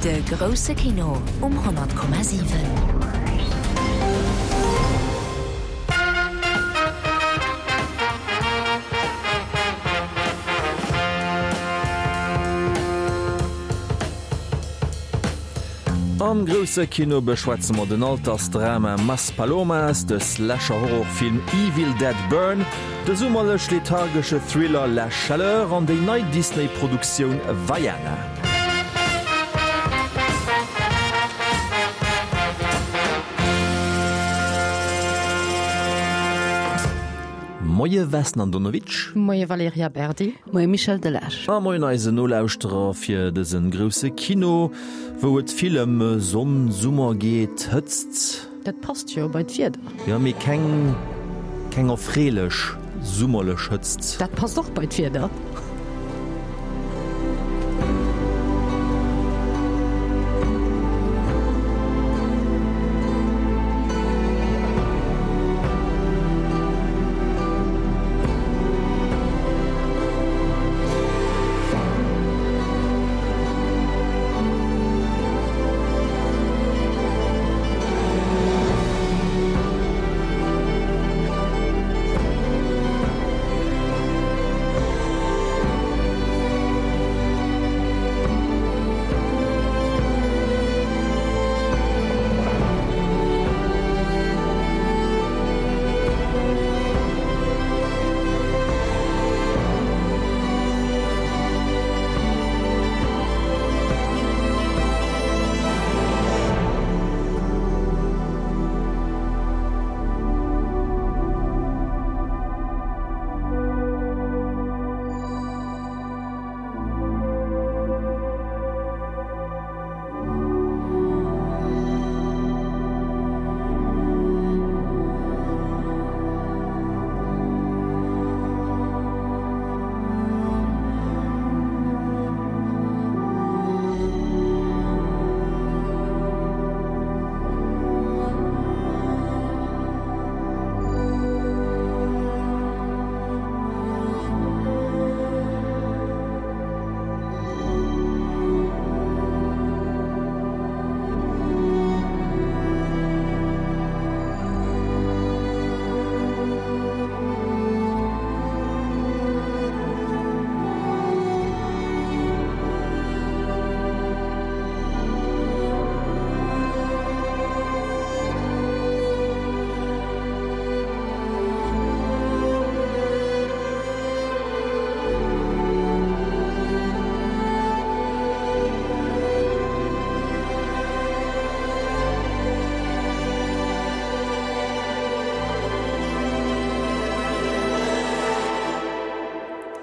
De grousse Kino um 100,7. Am grousse Kino beschwätze mer den Altersdrama Maspalomas, de Slasher-Horrorfilm Evil Dead Burn, de summerlech-lethargesche Thriller La Chaleur an déi nei Disney-Produktioun Vaiana. Moie Vesna Andonovic. Moie Valerija Berdi. Moie Michel Delage. A moien eisen Nolauschterer fir dëse grousse Kino, wou et vill ëm Sonn, Summer geet, Hëtzt. Dat passt jo bei d'Wieder. Jo, mee keng, keng erfreelech summerlech Hëtzt. Dat passt och bei d'Wieder.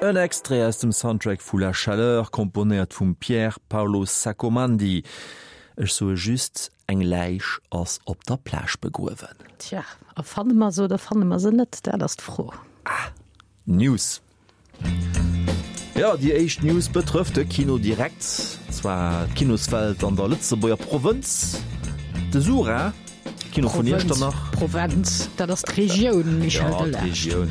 En Extrait aus dem Soundtrack vu La Chaleur, komponéiert vum Pier Paolo Saccomandi. Ech soe just, Eng Läich ass op der Plage begruewen. Tja, a fanne mer se oder fanne mer se net? Dat ass d'Fro. Ah, News. Jo, déi éischt News betrëfft de Kino direkt, zwar d'Kinoswelt an der Lëtzebuerger Provënz, de Sura, Kino vun Iechternach. Provenz, dat ass d'Regioun, Michel Delage. Ja, d'Regioun.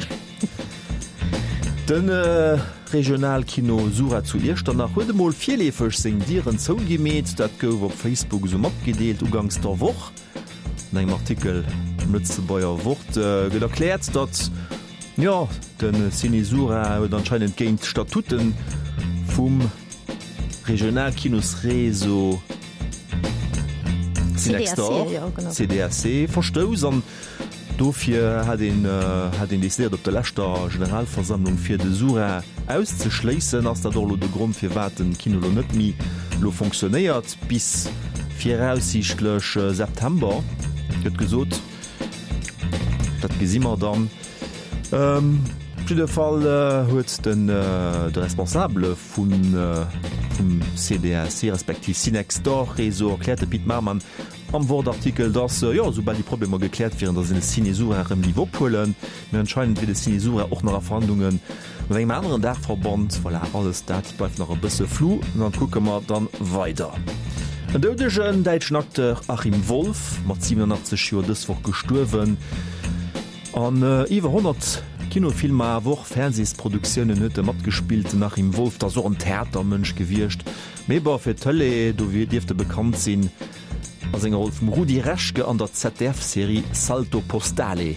De Regionalkino Sura zu Iechternach huet emol virleefeg seng Dieren zougemeet. Dat gouf op Facebook esou matgedeelt uganks der Woch. An engem Artikel am Lëtzebuerger Wort gëtt erkläert, datt, jo, de Ciné Sura huet anscheinend géint d'Statute vum Regionalkinosréseau Cinextor, CDAC, verstouss an dofir hat een hat een decidéiert op der leschter Generalversammlung fir de Sura auszeschléissen. Ass dat och elo de Grond firwat den Kino elo net méi elo fonctionnéiert? Bis viraussiichtlech September, gëtt gesot. Dat gesi mer dann. Op jidde Fall huet den de Responsabele vum CDAC respektiv Cinextor-Réseau erkläert, de Pit Marmann, am Wort-Artikel, datt, jo, soubal déi Problemer gekläert wieren, datt een de Cinesura erëm géif ophuelen. Mee anscheinend wier de Cinesura och nach a Verhandlunge Mat engem aneren Daachverband. Voilà, alles dat bleift nach e bësse flou, an dann kucke mer dann weider. En doudegen däitschen Acteur Achim Wolff, mat 87 Joer dës Woch gestuerwen. An iwwer 100. Kinofilmer, awer och Fernsehsproduktiounen huet e matgespillt. Den Achim Wolff, dat ass och en Theatermënsch gewiescht, mee bon, fir d'Tëlee, do dierft e bekannt sinn a senger Roll vum Rudi Reschke an der ZDF-Serie Salto Postale.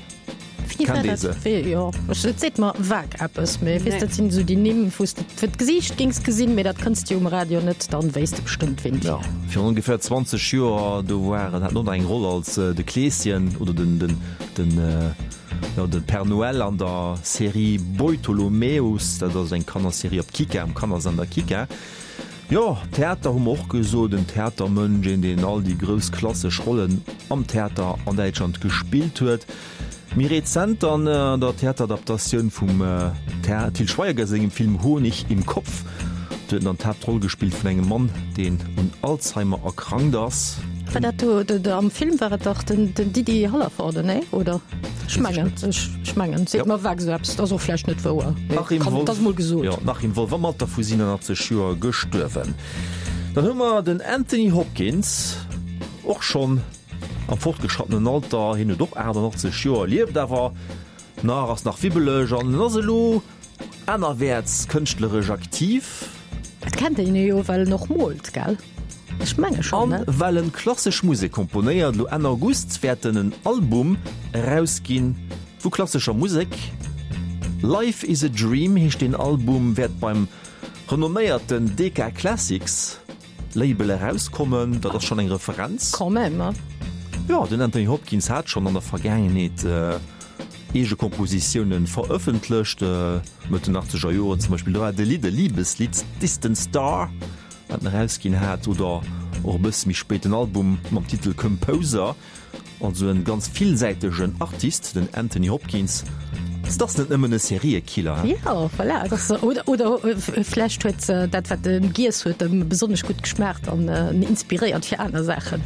Wéi war Kennt ee dat? se? Wéi, jo, ech, et seet mer vag eppes, mee weess, dat sinn esou déi Nimm, wou s de fir d'Gesiicht géings gesinn, mee dat kënns de jo um Radio net, dann wéisst de bestëmmt, ween et Ja, wier. virun ongeféier 20 Joer, do war en, hat en och nach eng Roll als de Kleeschen oder den, den, den, jo, de Père Noël an der Serie Beutolomäus. Dat ass eng Kannerserie op Kika, um Kannersender Kika. Jo, Theater hu mer och gesot, en Theatermënsch, een deen all déi grouss klassesch Rollen am Theater an Däitschland gespillt huet. Méi rezent dann an der Theateradaptatioun vum Til Schweiger sengem Film Honig im Kopf. Do huet en dann d'Haaptroll gespillt vun engem Mann, deen un Alzheimer erkrankt ass. War dat do, am Film war et dach den Didi Hallervorden, nee, oder? Ech mengen, ech mengen, seet mer vag esou eppes, ass och vläicht net wouer, mee kann, et ass mol gesot. Jo, den Achim Wolff am Alter vu 87 Joer gestuerwen. Dann hu mer den Anthony Hopkins, och schonn am fortgeschrattenen Alter, hien huet och 88 Joer, lieft awer nach, ass nach wibbeleg an en ass elo anerwäerts kënschtleresch aktiv. Et kennt een e jo, well en och moolt, gell? Ech menge schonn, An ne? well en klassesch Musek komponéiert. Elo Enn August wäert en en Album erausginn vu klassescher Musek. Life is a Dream heescht deen Album, wäert beim renomméierten Decca Classics Label erauskommen. Dat ass schonn eng Referenz. Quand même, hein? Jo, den Anthony Hopkins hat schonn an der Vergaangenheet eege Kompositioune verëffentlecht, Mëtt den achtzeger Joren zum Beispill. Do war de Lidd, e Libeslidd, Distant Star. Wat en erausginn hat, oder och e bësse méi spéit den Album mam Titel Composer. Also en ganz villsäitegen Artist, den Anthony Hopkins. Et ass net nëmmen e Seriekiller, he? Jo, voilà, et ass, oder, oder vläicht huet dat, wat en giess huet, em besonnesch gutt geschmaacht an en inspiréiert fir aner Saachen.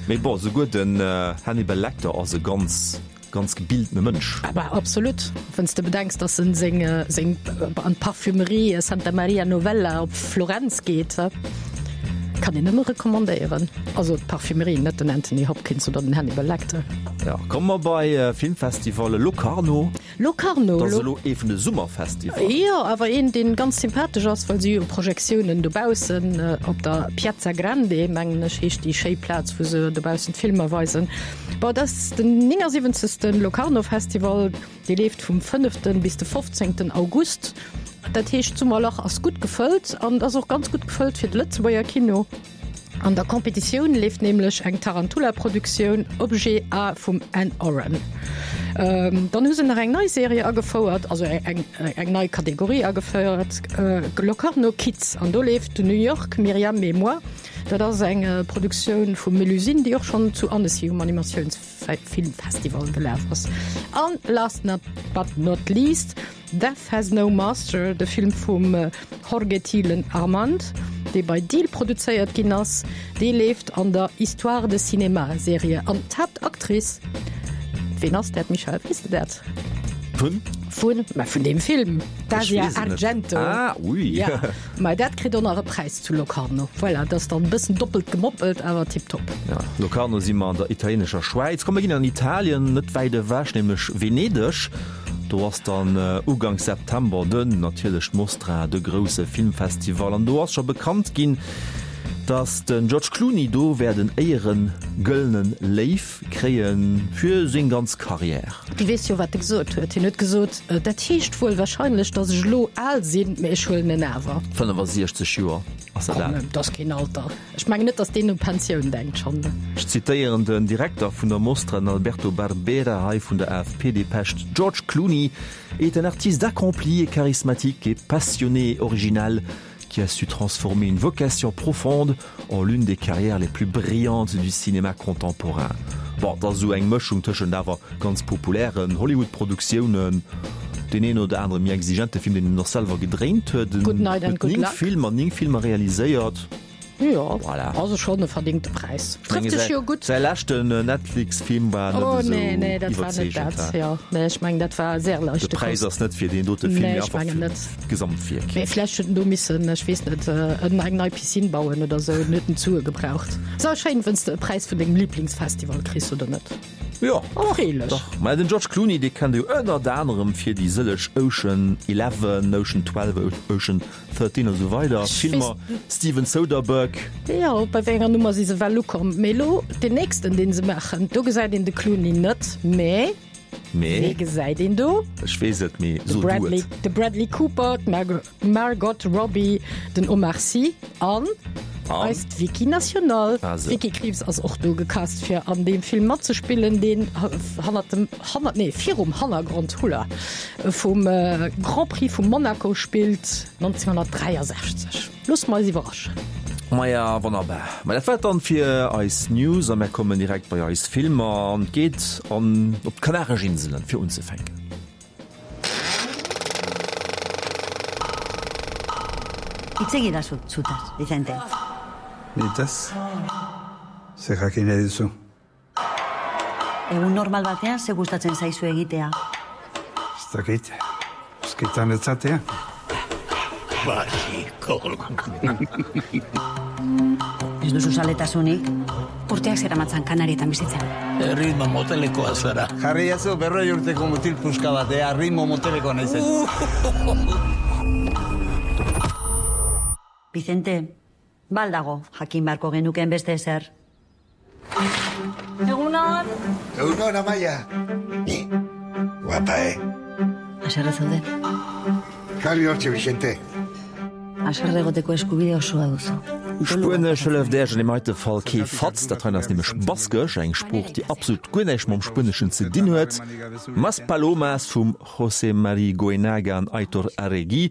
Mee bon, souguer den Hannibal Lecter ass e ganz Ganz gebildene Mënsch. Aber absolut, wann s de bedenks, dass en seng seng an d'Parfümerie Santa Maria Novella op Florenz geet, kann een nëmme recommandéieren. Also d'Parfümerie, net den Anthony Hopkins oder den Hannibal Lecter. Ja, komme mer bei Filmfestivalle Locarno. Locarno, Dat ass elo ee vun de Summerfestivallen. Jo, awer een, dee ganz sympathesch ass, well si hu Projektiounen dobaussen op der Piazza Grande, mengen ech heescht déi schéi Plaz, wou se dobaussen d'Filmer weisen. Bon, et ass den 79. Locarno Festival, dee leeft vum fënneften bis de fofzéngten August. Dat heescht, d'Summerlach ass gutt gefëllt an et ass och ganz gutt gefëllt fir de Lëtzebuerger Kino. An der Competitioun leeft nämlech eng Tarantula-Produktioun, Objet A vum Ann Oren. Dann hu se nach eng nei Serie agefouert, also eng eng nei Kategorie agefouert, Locarno Kids. An do leeft New York, Myriam et moi. Dat ass eng Produktioun vum Melusine, déi och schonn zu Annecy um Animatiounsfilmfestival gelaf ass. An last not but not least, Death Has No Master, de Film vum Jorge Thielen Armand, dee bei Deal produzéiert ginn ass, dee leeft an der Histoire de Cinéma Serie. An d'Haaptactrice, ween ass dat, Michèle, weess de dat? Vun? Vun, mä vun deem Film, d'Asia Argento. Ah, oui. Ja, mä dat kritt och nach e Präis zu Locarno. Voilà, dat ass dann e bëssen doppelt gemoppelt, awer tiptop. Ja, Locarno si mer an der italienescher Schwäiz. Komm, mir ginn an Italien, net wäit ewech, nämlech Venedeg. Do ass dann Uganks September den natierlech d'Mostra, de grousse Filmfestival. An do ass scho bekannt ginn, datt den George Clooney do wäert en Éiere-gëllene Léiw kréie fir seng ganz Karriär. Du weess jo, wat e gesot huet. Hien huet gesot, Dat heescht wuel warscheinlech, datt ech elo al sinn, mee ech huelen en awer. 65 Joer ass dat al. Komm, dat ass keen Alter. Ech mengen net, datt deen u Pensioun denkt schonn. Ech zitéieren den Direkter vun der Mostra, den Alberto Barbera, hei vun der AFP-Depeche, George Clooney est un artiste accompli et charismatique et passionné et original qui a su transformer une vocation profonde en l'une des carrières les plus brillantes du cinéma contemporain. Bon, et ass esou eng Mëschung tëschent awer ganz populären Hollywood-Produktiounen, deen een oder anere méi exigente Film, deen en och selwer gedréint huet. En Good night and huet good 9 luck. Filmer, 9 Filmer realiséiert. Jo, Voilà. also schonn e verdingte Präis. Ech menge Trëfft sech säi jo gutt. säi leschten Netflix-Film war net Oh esou nee, nee, dat war net iwwerzeegend, dat. he? Jo, nee, ech mengen, dat war sehr De leichte Präis Kost. ass net fir deen dote Film, Nee, mee ech einfach mengen fir net. d'Gesamtwierk. Mee vläicht huet en do missen, ech weess net, en eng nei Piscine bauen oder esou, en huet en d'Sue gebraucht. Ass awer schéin, wenn's de e Präis vun dengem Liblingsfestival kriss, oder net? Jo, Erfreelech. dach. Mä den George Clooney, dee kennt ee jo ënnert anerem fir déi sëlleg Ocean Eleven, Ocean 12, Ocean 13 a sou weider Filmer. Steven Soderbergh. Jo, bei wéi enger Nummer si se well ukomm? Mee elo deen nächsten, dee se maachen, do gesäit een de Clooney net, mä Mee? Wee gesäit een do? Ech weess et, mee De so du Bradley, et. de Bradley Cooper, d'Margot Robbie, den Omar Sy an An? eist Vicky National. Ah, sou. D'Vicky Krieps ass och do gecast fir an deem Film matzespillen, deen hannert dem, hannert, nee, virum Hannergrond, hula, vum Grand Prix vu Monaco spillt 1963. Loosse mer eis iwwerraschen. Maja, wonnerbar. Ma dat war et dann fir eis News a mär kommen direkt bei eis Filmer an et geet an op d'Kanaresch Inselen fir unzefänken. Hitz egidazu zutaz, Vicente. Nitaz? Zer jakin nahi duzu? Egun normal batean ze gustatzen zaizu egitea? Ez dakit. Eusketan etzatea. Ez duzu zaletasunik? Urteak zeramatzan Kanarietan bizitzen. Erritmo motelekoa zara. Jarri jazu berroi urteko mutil puska bat, ea ritmo motelekoa naizen. Vicente, ba al dago jakin beharko genukeen beste ezer? Egunon! Egunon, Amaia! Guapa, eh? Haserre zaude? Jarri hortxe, Vicente. Haserre egoteko eskubide osoa duzu. Spuenesch hëlleft Äerch an deem heite Fall kee Fatz. Dat heien ass nämlech Baskesch, eng Sprooch, déi absolut guer näischt mam Spueneschen ze dinn huet. Maspalomas vum José Mari Goenaga an Aitor Arregui,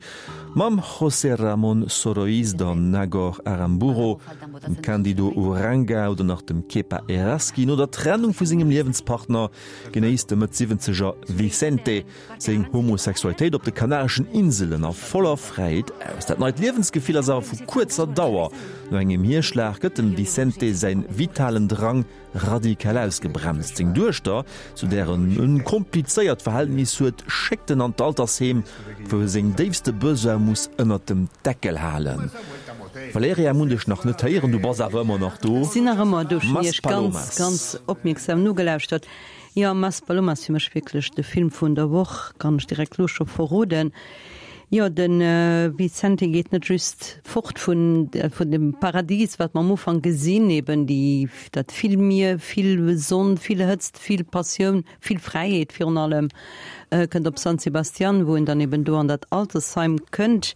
mam José Ramón Soroiz, der Nagore Aranburu, dem Cándido Uranga oder nach dem Kepa Errazkin. No der Trennung vu sengem Liewenspartner genéisst de Mëtt-Siwwenzeger Vicente seng Homosexualitéit op de Kanareschen Inselen a voller Fräiheet aus. Dat neit Liewensgefill ass awer vu kuerzer Dauer. No engem Hierschlag gëtt dem Vicente säin vitalen Drang radikal ausgebremst. Seng Duechter, zu där en e komplizéiert Verhältnis huet, schéckt en an d'Altersheem, wou e seng déifste Besoin muss ënnert dem Deckel halen. Valerija, mir hunn dech nach net héieren, du bass awer ëmmer nach do. Ech sinn nach ëmmer do, ech hunn iech ganz, Maspalomas. ganz opmierksam nogelauschtert. Jo, Maspalomas fir mech wierklech de Film vun der Woch, kann ech direkt lo scho verroden. Jo, de Vicente geet net just fort vun vun dem Paradies, wat mer am Ufank gesinn, eben déi dat vill Mier, vill Sonn, vill Hëtzt, vill Passioun, vill Fräiheet virun allem, kënnt op San Sebastian, wou en dann eben do an dat Altersheim kënnt.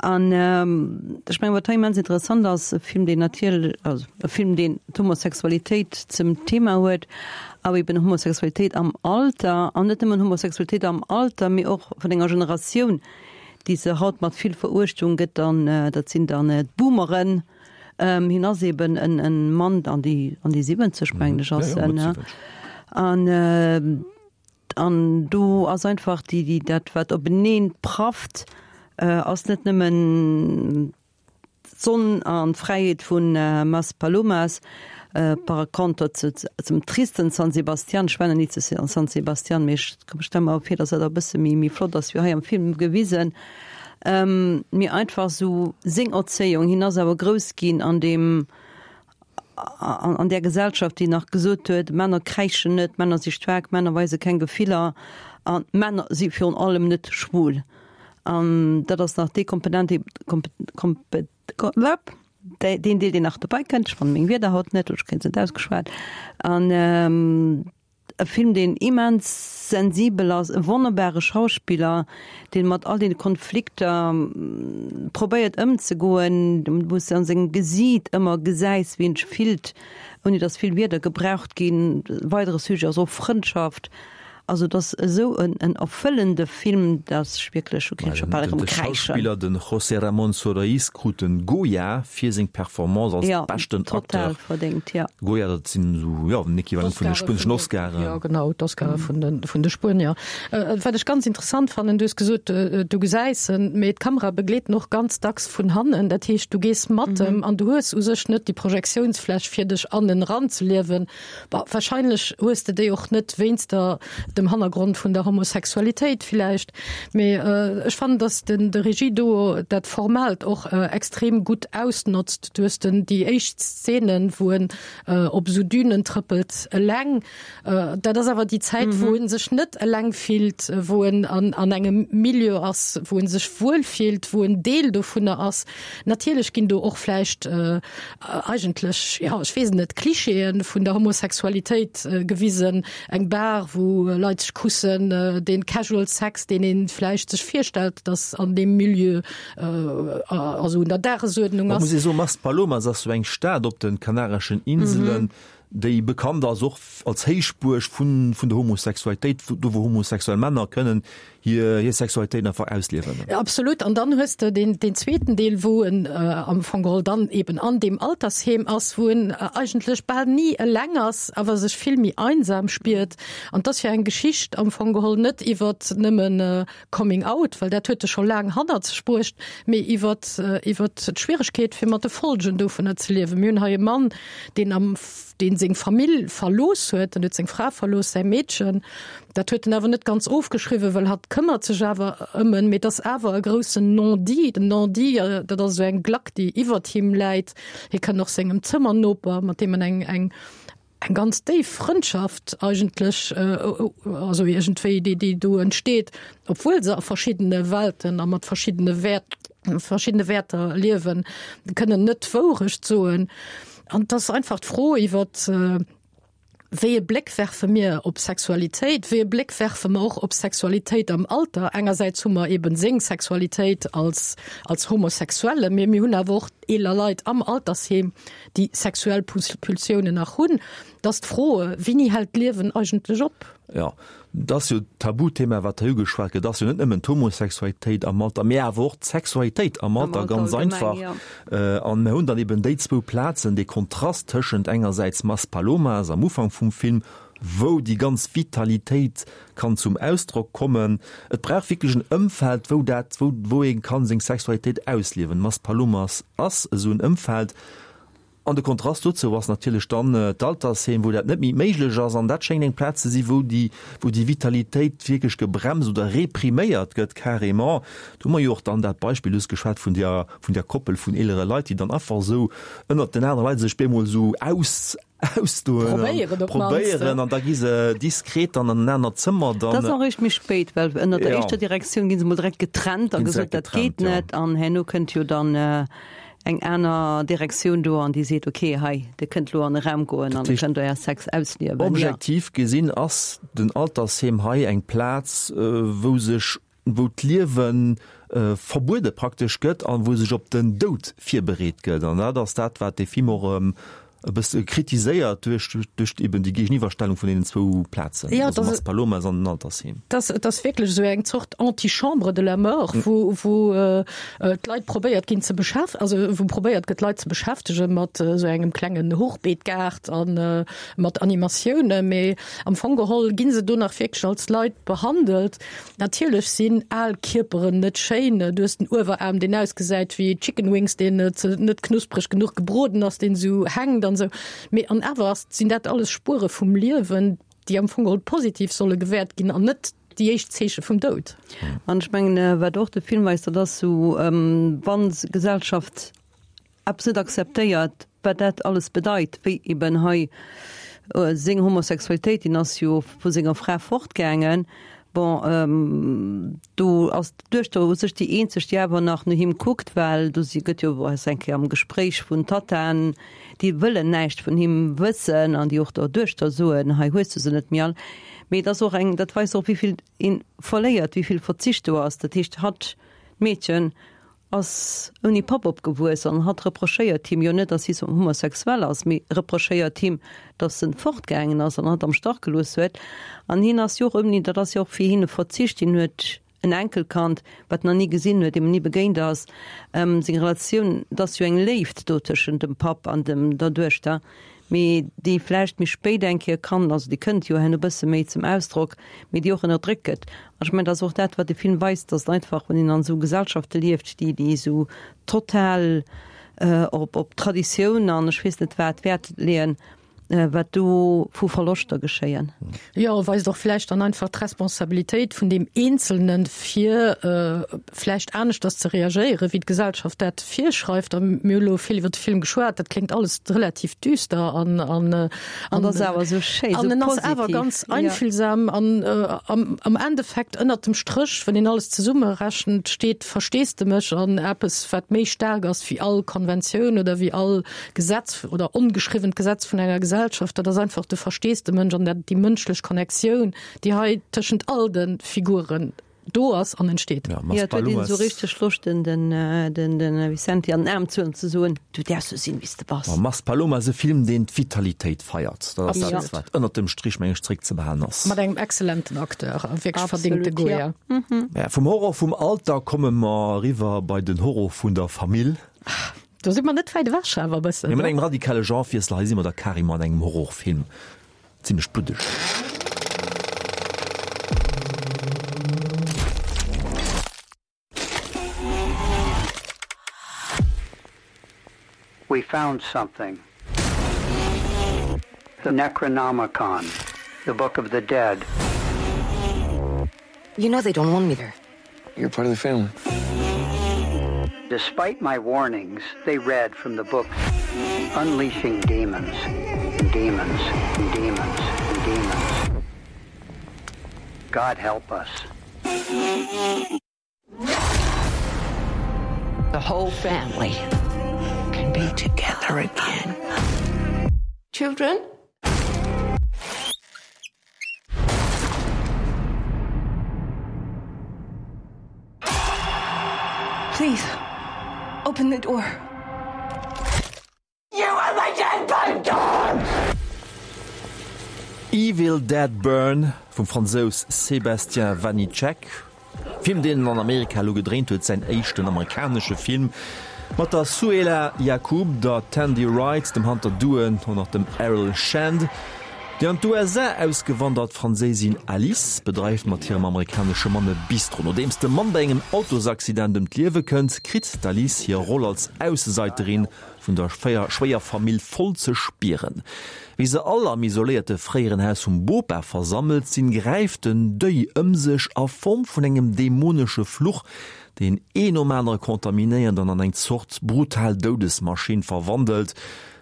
An ech mengen, wat hei immens interessant ass, e Film, deen natierlech, also e Film, deen d'Homosexualitéit zum Thema huet, awer eben Homosexualitéit am Alter, an net nëmmen Homosexualitéit am Alter, mee och vun enger Generatioun, déi se haut mat vill Veruechtung gëtt, an dat sinn dann d'Boomeren. Hien ass eben en Mann an déi, an déi 70, mengen ech, ass en, an. An do ass einfach déi, déi, dat wat openeen prafft, ass net nëmmen d'Sonn an d'Fräiheet vu Maspalomas, par conter zu, zum tristen San Sebastian. Ech war nach ni zu San Sebastian, mee ech stelle mer vir, datt dat e bësse méi, méi flott ass wéi hei am Film gewisen. Mee einfach esou seng Erzéiung, hien ass awer grouss ginn an deem, an där Gesellschaft, déi nach gesot huet, Männer kräischen net, Männer si staark, Männer weise keng Gefiller an Männer si virun allem net schwul. An dat ass nach déi Komponent, déi, deen Deel, deen nach dobäi kënnt. Ech fannen meng Wierder haut net, oder ech kréien se net ausgeschwat. An E Film deen immens sensibel ass, e wonnerbare Schauspiller, deen mat all den Konflikter probéiert ëmzegoen, wou s de an sengem Gesiit ëmmer gesäis wéi en sech fillt, ouni datt vill Wierder gebraucht ginn. E weidere Sujet ass och Frëndschaft. Also et ass esou en erfëllende Film, datt ech wierklech, hu kéint scho bal erëm De kräischen. Schauspiller, de José Ramón Soroiz, krut den Goya fir seng Performance als Ja, beschten total Acteur. verdéngt, ja. Goya, dat sinn esou, jo, den Equivalent vun de spueneschen Oscaren. Jo, genau, d'Oscare vun de, vun de Spuenier. Wat ech ganz interessant fannen, du hues gesot, du gesäis en, mee d'Kamera begleet en och ganz dacks vun hannen. Dat heescht, du gees mat em an du hues u sech net déi Projektiounsfläch, fir dech an en eranzeliewen. Bon, wahrscheinlech hues de déi och net wéinst der. dem Hannergrond vun der Homosexualitéit villäicht. Mee ech fannen, datt den de Regie-Duo dat Formaalt och extrem gutt ausnotzt. Du hues den déi éischt Szenen, wou en op esou Dünen trëppelt eleng. Dat ass awer déi Zäit, wou en sech net eleng fillt, wou en an an engem Milieu ass, wou en sech wuel fillt, wou en Deel dovunner ass. Natierlech ginn do och vläicht eigentlech, jo, ech weess et net, Klischeeë vun der Homosexualitéit gewisen, eng Bar, wou Leit sech kussen, dee Casual Sex, deen ee vläicht sech virstellt, datt an deem Milieu also un der Dagesuerdnung ass. Muss ee soen, Maspalomas ass sou eng Stad op de Kanareschen Inselen, déi bekannt ass och als Héichbuerg vun vun der Homosexualitéit, do wou homosexuell Männer kënnen hir hir Sexualitéit einfach ausliewen. Absolut. An dann hues de deen deen zweeten Deel, wou en am Fong geholl dann eben an deem Altersheem ass, wou en eigentlech bal ni eleng ass, awer sech vill méi einsam spiert. An 't ass jo eng Geschicht am Fong geholl net iwwert nëmmen Coming Out, well dat huet e scho laang hannert sech bruecht, mee iwwert iwwert d'Schwieregkeet fir mat de Folgen dovunner ze liewen. Mir hunn hei e Mann, deen am deen seng Famill verlooss huet, en huet seng Fra verlooss, säi Meedchen, dat huet en awer net ganz ofgeschriwwen, well hatt këmmert sech awer ëm en, mee et ass awer e groussen Non-dit. Den Non-dit, dat ass esou eng Glack, déi iwwert him läit. Hie kënnt och sengem Zëmmernoper, mat deem en eng eng eng ganz déif Frëndschaft eigentlech, also iergendwéi, déi déi do entsteet, obwuel se a verschiddene Welten a mat verschiddene Wäert verschiddene Wäerter liewen, kënnen net d'Wourecht soen. An et ass einfach d'Fro iwwert, wéi e Bléck werfe mir op Sexualitéit, wéi e Bléck werfe mer och op Sexualitéit am Alter. Engersäits hu mer eben seng Sexualitéit als, als Homosexuelle, mee mir hunn awer och eeler Leit am Altersheem, déi sexuell Pulsiounen nach hunn. Et ass d'Fro, Wéini hält d'Liewen eigentlech op? Jo, dat ass jo d'Tabuthema, wat hei ugeschwat gëtt, ass jo net nëmmen d'Homosexualitéit am Alter, mee awer och d'Sexualitéit am Alter, ganz einfach. An mir hunn dann eben déi zwou Plazen, dee Kontrast tëschent engersäits Maspalomas am Ufank vum Film, wou déi ganz Vitalitéit kann zum Ausdrock kommen. Et brauch wierklech en Ëmfeld, wou dat, wou, wou ee kann seng Sexualitéit ausliewen. Maspalomas ass esou en Ëmfeld. An de Kontrast dozou ass natierlech dann d'Altersheem, wou dat net méi méiglech ass. An dat schéngt eng Plaz ze si wou déi, wou déi Vitalitéit wierklech gebremst oder repriméiert gëtt carrément. Do hu mer jo och dann dat Beispill, du hues geschwat vun där, vun där Koppel vun eelere Leit, déi dann einfach esou ënnert den anere Leit sech bemol esou aus, ausdoen an Probéieren op d'mannst. probéieren an da gi se diskret dann an en anert Zëmmer dann. Dat ass och eréischt méi spéit, well ënnert der éischter Direktioun gi se mol direkt getrennt a Ginn se gesot, direkt dat geet getrennt, jo. net. An herno kënnt jo dann eng aner Direktioun do an déi seet, ok, hei, Dir kënnt elo an e Raum goen an Dir kënnt Äer Sex ausliewen. Objektiv gesinn ass den Altersheem hei eng Plaz, wou sech, wou d'Liewe verbuede praktesch gëtt an wou sech op den Doud virbereet gëtt. An dat ass dat, wat dee Film och e bësse kritiséiert duerch, duerch eben déi Géigeniwwerstellung vun deenen zwou Plazen, ja, also Maspalomas an den Altersheem. Das, et ass wierklech esou eng Zort Antichambre de la mort, wou, wou äh, d'Leit probéiert ginn ze beschäf-, also wou probéiert gëtt d'Leit ze beschäftege mat esou engem klengen Hochbeetgaart an äh, mat Animatiounen, mee am Fong geholl gi se do nach wierklech als Leit behandelt. Natierlech sinn al Kierperen net schéin. Du hues den Ueweraarm, deen ausgesäit wéi Chicken Wings, deen net knuspreg genuch gebroden ass, deen esou hänkt an esou. Mee an awer ass, sinn dat alles Spuere vum Liewen, déi am Fong geholl positiv solle gewäert ginn an net déi éischt Zeeche vum Doud. An ech mengen, wat och de Film weist, dat ass esou, wann d'Gesellschaft eppes net akzeptéiert, wat dat alles bedeit, wéi eben hei seng Homosexualitéit, hien ass jo vu senger Fra fortgaangen, bon, do ass d'Duechter u sech déi eenzeg, déi awer nach no him kuckt, well do si gëtt jo ass eng Kéier am Gespréich vun Tattaen, déi wëllen näischt vun him wëssen an déi och der Duechter soen, hei hues du se net méi all. Mee et ass och eng, dat weist och, wéi vill ee verléiert, wéi vill Verzicht do ass. Dat heescht, hatt, d'Meedchen, ass ouni Papp opgewuess an hatt reprochéiert him jo net, dass si homosexuell ass, mee reprochéiert him, dass en fortgaangen ass an hatt am Stach gelooss huet. An hien ass jo och ouni, dat ass jo och fir hien e Verzicht, hien huet en Enkelkand, wat en nach ni gesinn huet, deem en ni begéint ass. Seng Relatioun, et ass jo eng Léift do tëschent dem Papp an dem der Duechter, mee déi vläicht méi spéit eng Kéier kann, also déi kënnt jo herno bësse méi zum Ausdrock, mee déi och ënnerdréckt gëtt. An ech mengen, dat ass och dat, wat de Film weist, dass et einfach, wann een an esou Gesellschafte lieft, déi, déi esou total op, op Traditioun an ech weess net wat Wäert leeën. Wat do vu Verloschter geschéien. Jo, weist och vläicht dann einfach d'Responsabilitéit vun deem Eenzelnen, fir vläicht aneschters ze reagéieren, wéi d'Gesellschaft dat virschreift. A mir hu lo vill iwwer de Film geschwat, dat kléngt alles relativ düster an an an ass awer esou schéi, esou positiv. An en ass awer ganz einfühlsam an am Endeffekt ënnert dem Stréch, wann een alles zesummerechent, steet Versteesdemech an eppes, wat méi staark ass wéi all Konventioun oder wéi all Gesetz oder ongeschriwwent Gesetz vun enger Gesellschaft, dat ass einfach de Versteesdemënsch an dat déi mënschlech Connectioun, déi hei tëschent all de Figuren do ass an entsteet. Ja, jo, et huet een esou richteg Loscht, den, den, den, den Vicente an den Aarm ze huelen an ze soen, Du däerfs sou sinn, wéi s de bass. Maspalomas ass e Film, deen d'Vitalitéit feiert. Dat ass dat, wat ënnert dem Strich, meng ech, zréckzebehalen ass. Mat engem excellenten Acteur, a wierklech verdéngte Goya. Ja, vum Horror vum Alter komme mer eriwwer bei den Horror vun der Famill. Do si mer net wäit ewech, awer e bëssen. Mee mat engem radikale Genrewiessel, hei si mer da carrément an engem Horrorfilm, zimmlech bluddeg. We found something. The Necronomicon, the Book of the Dead. You know they don't want me there. You're part of the family. Despite my warnings, they read from the book Unleashing Demons, Demons, Demons, Demons. God help us. The whole family can be together again. Children? Please open the door. You are my dead bone Evil Dead Burn vum Fransous Sébastien Vaniček. Film deen en an Amerika elo gedréint huet, säin éischten amerikanesche Film, mat der Souheila Yacoub, der Tandi Wright, dem Hunter Doohan an och dem Errol Shand. Déi an d'USA ausgewandert Franséisin Alice bedreift mat hirem amerikanesche Mann e Bistro. Nodeems de Mann bei engem Autosaccident ëm d'Liewe kënnt, kritt d'Alice hir Roll als Ausseseiterin vun der Schwéierfamill voll ze spieren. Wéi se all am isoléierte fréieren Haus vum Bopa versammelt sinn, gräift den Deuil ëm sech a Form vun engem dämonesche Fluch, deen een nom anere kontaminéiert an an eng Zort brutal Doudesmaschinn verwandelt.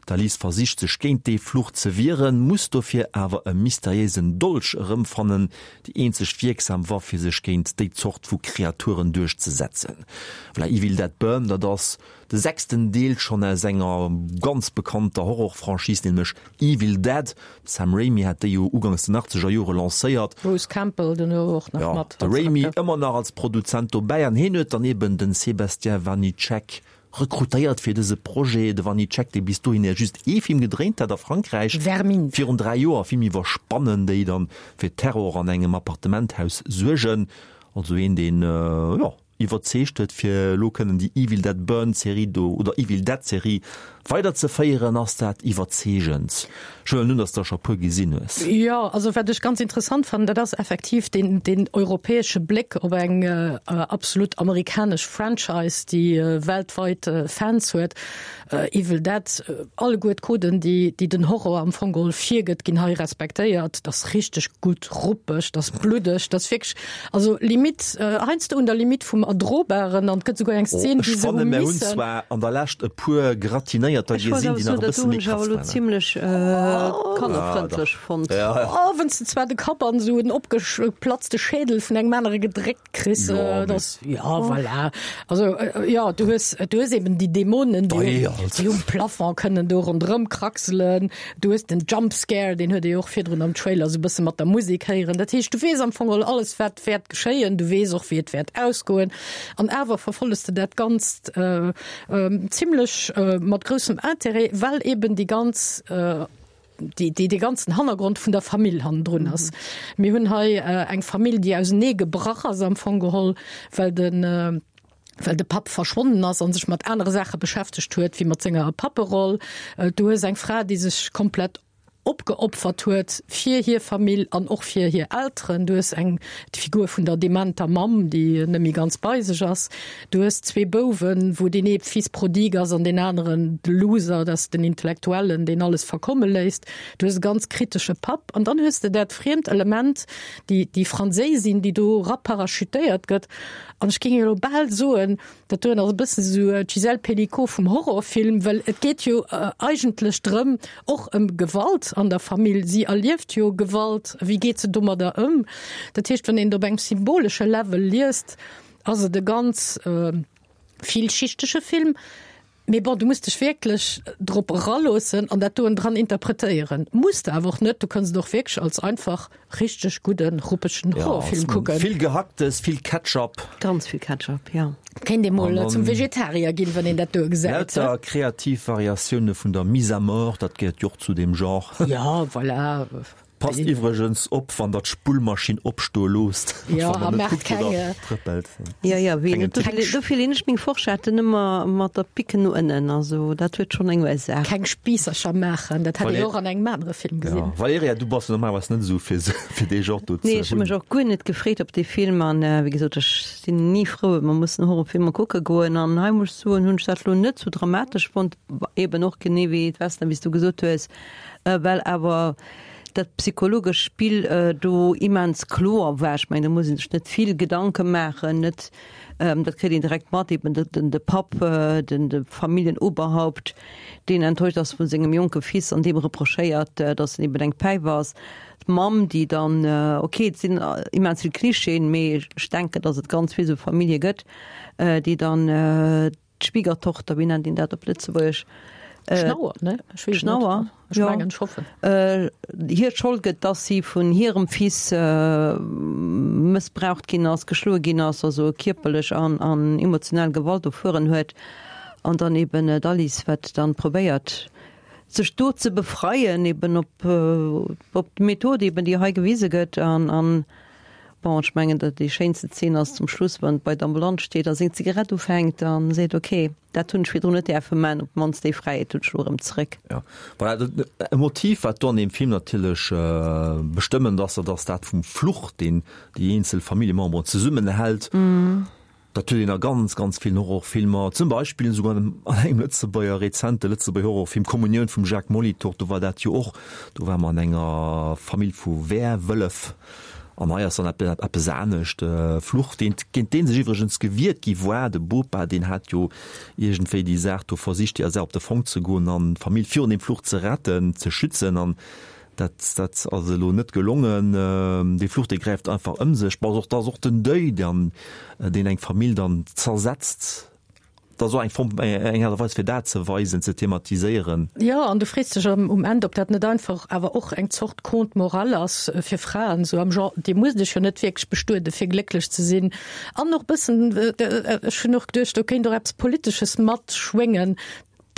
D'Alice versicht sech géint dee Fluch ze wieren, muss dofir awer e mysteriéisen Dolch erëmfannen, déi eenzeg wierksam Waff fir sech géint déi Zort vu Kreaturen duerchzesetzen. Voilà, Evil Dead Burn, dat ass De sechsten Deel schonn aus enger ganz bekannter Horror-Franchise, nämlech Evil Dead. De Sam Raimi hat déi jo ugangs den achtzeger Jore lancéiert. Bruce Campbell dono och nach mat. Jo, de Raimi ëmmer nach als Produzent dobäi an hien huet dann eben den Sébastien Vaniček rekrutéiert fir dëse Projet. De Vaniček, dee bis dohinner just ee Film gedréint hat a Frankräich, Vermine. virun 3 Joer, e Film iwwer Spannen, déi dann fir Terror an engem Appartementhaus suergen. Also een, deen, jo. Iwwerzeegt huet fir elo kënnen déi Evil Dead Burn Serie do oder Evil Dead Serie weider ze féieren. Ass dat iwwerzeegend? Ech huelen un, dass der scho puer gesinn hues. Jo, also wat ech ganz interessant fannen, dat ass effektiv deen deen europäesche Bléck op eng absolut amerikanesch Franchise, déi weltweit Fans huet. Evil Dead, alleguer d'Coden, déi déi den Horror am Fong geholl virgëtt, ginn hei respektéiert. Dat ass richteg gutt ruppeg, dat ass bluddeg, dat ass wierklech, also Limite, heiansdo un der Limite vum Erdrobaren an et gëtt souguer eng Szen, wéi se hu missen. Ech fanne mir hunn zwar an der Lescht e puer Gratinéierter gesinn, déi nach e bësse méi krass waren. Zimlech kannerfrëndlech fonnt. Oh, wenn's de zwar de Kapp an esou en opgeplatzte Schädel vun engem anere gedréckt Kriss, ja, das, ja voilà. Also ja, du hues, du hues eben déi Dämonen, déi, déi um Plafond kënnen do ronderëm kraxelen. Du hues den Jumpscare, deen huet ee jo och virdrun am Trailer sou bësse mat der Musek héieren. Dat heescht, du weess am Fong geholl alles, wat wäert geschéien. Du weess och, wéi et wäert ausgoen. An awer verfolles de dat Ganzt äh, äh, zimlech äh, mat groussem Intérêt, well eben déi ganz äh, déi, déi de ganzen Hannergrond vun der Famill hannendrun ass. Mhm. Mir hunn hei äh, eng Famill, déi ausenee gebrach ass am Fong geholl, well den äh, well de Papp verschwonnen ass an sech mat anere Saache beschäftegt huet, wéi mat senger Papperoll. Äh, du hues eng Fra, déi sech komplett. opgeopfert huet fir hir Famill an och fir hir Elteren. Du hues eng, d'Figur vun der dementer Mamm, déi net méi ganz bei sech ass. Du hues zwee Bouwen, wou deen ee Fils prodigue ass an deen aneren de Loser, dat ass den Intellektuellen, deen alles verkomme léisst. Du hues e ganz kritesche Papp an dann hues de dat friemt Element, déi, déi Franséisin, déi do eraparachutéiert gëtt. An ech géing elo bal soen, Dat doen ass e bëssen esou d'Gisèle Pelicot vum Horrorfilm, well et geet jo eigentlech drëm, och ëm Gewalt an der Famill. Si erlieft jo Gewalt, wéi geet se domadder ëm? Dat heescht, wann een et op engem symbolesche Level liest, ass et e ganz villschichtege Film. Mee bon, du muss dech wierklech drop eraloossen an dat doen dran interpretéieren. Muss de awer och net, du kënns et och wierklech als einfach richteg gudden, ruppegen Horrorfilm kucken. Vill Gehacktes, vill Ketchup. Ganz vill Ketchup, jo. Kéint ee mol zum Vegetarier ginn, wann een dat do gesäit. Lauter kreativ Variatioune vun der Mise à mort, dat gehéiert jo och zu deem Genre. Jo, voilà. Passt iwwregens op wann der d'Spullmaschinn opstoe loosst. Jo, a maacht keng. Trëppelt. Jo, jo, wéi net. Dofir leen ech meng Forschetten ëmmer mat der Picken no ënnen. Also dat huet schonn eng Ursaach. Keng Spiissercher maachen, dat hat een och an engem anere Film gesinn. Valerija, du bass jo normalerweis net esou fir fir dee Genre do ze hunn. Nee, ech hu mech och guer net gefreet op dee Film an wéi gesot, ech sinn ni frou, wa mer mussen Horrorfilmer kucke goen. An hei muss ech soen, hunn ech dat elo net sou dramatesch fonnt, eben och genee wéi d'Vesna, wéi s du gesot hues, well awer dat psychologesch Spill do immens kloer war. Ech mengen, do muss ee sech net vill Gedanke maachen, net, dat kritt een direkt mat, eben de, den, de Papp, den, de Familljenoberhaupt, deen enttäuscht ass vu sengem jonke Fils an deem reprochéiert, datt en eben eng Päif ass. D'Mamm, déi dann, okay, et sinn immens vill Klischeeën, mee ech denken, datt et ganz vill esou Famillje gëtt, déi dann, D'Schwiegertochter, wéi nennt een dat op Lëtzebuergesch? Schnauer, ne? Ech weess et net. Schnauer, Ech mengen, ech hoffen. Hir d'Schold gëtt, dass si vun hirem Fils mëssbraucht ginn ass, geschloe ginn ass, also kierperlech an an emotionell Gewalt erfueren huet. An dann eben d'Alice, wat dann probéiert, sech do ze befreien, eben op op d'Method eben, déi hei gewise gëtt. An an Bon, ech mengen, dat déi schéinste Zeen ass zum Schluss, wann et bei der Ambulanz steet a seng Zigarett ufänkt a seet, ok, dat hunn ech virdrun net däerfe man, op d'mannst déi Fräiheet hunn ech elo erëm zeréck. Jo, voilà, dat e Motiv, wat do an deem Film natierlech bestëmmend ass, dat ass dat vum Fluch, deen déi eenzel Familljememberen zesummenhält. Dat huet een a ganz, ganz villen Horrorfilmer, zum Beispill esouguer an engem Lëtzebuerger, rezente Lëtzebuerger Horrorfilm Kommunioun vum Jacques Molitor, do war dat jo och, do ware mer an enger Famill vu Werwëllef an hei ass dann eppes anescht, Fluch, deen, géint dee sech iwwregens gewiert gi war. De Bopa, deen hat jo iergendwéi déi Saach do versicht, déi Saach op de Fong ze goen an d'Famill virun deem Fluch ze retten, ze schützen an Dat, dat ass elo net gelongen. Dee Fluch, dee gräift einfach ëm sech. Bon, och, dat ass och den Deuil, dann, deen eng Famill dann zersetzt. Dat ass och eng Form, eng Aart a Weis, fir dat ze weisen, ze thematiséieren. Jo, an du frees dech um Enn, ob dat net einfach awer och eng Zort Conte morale ass fir Fraen, esou am Genre, Dir musst iech jo net wierklech bestueden, fir glécklech ze sinn. An och e bëssen, ech hunn och geduecht, do kéint och eppes Politesches matschwéngen,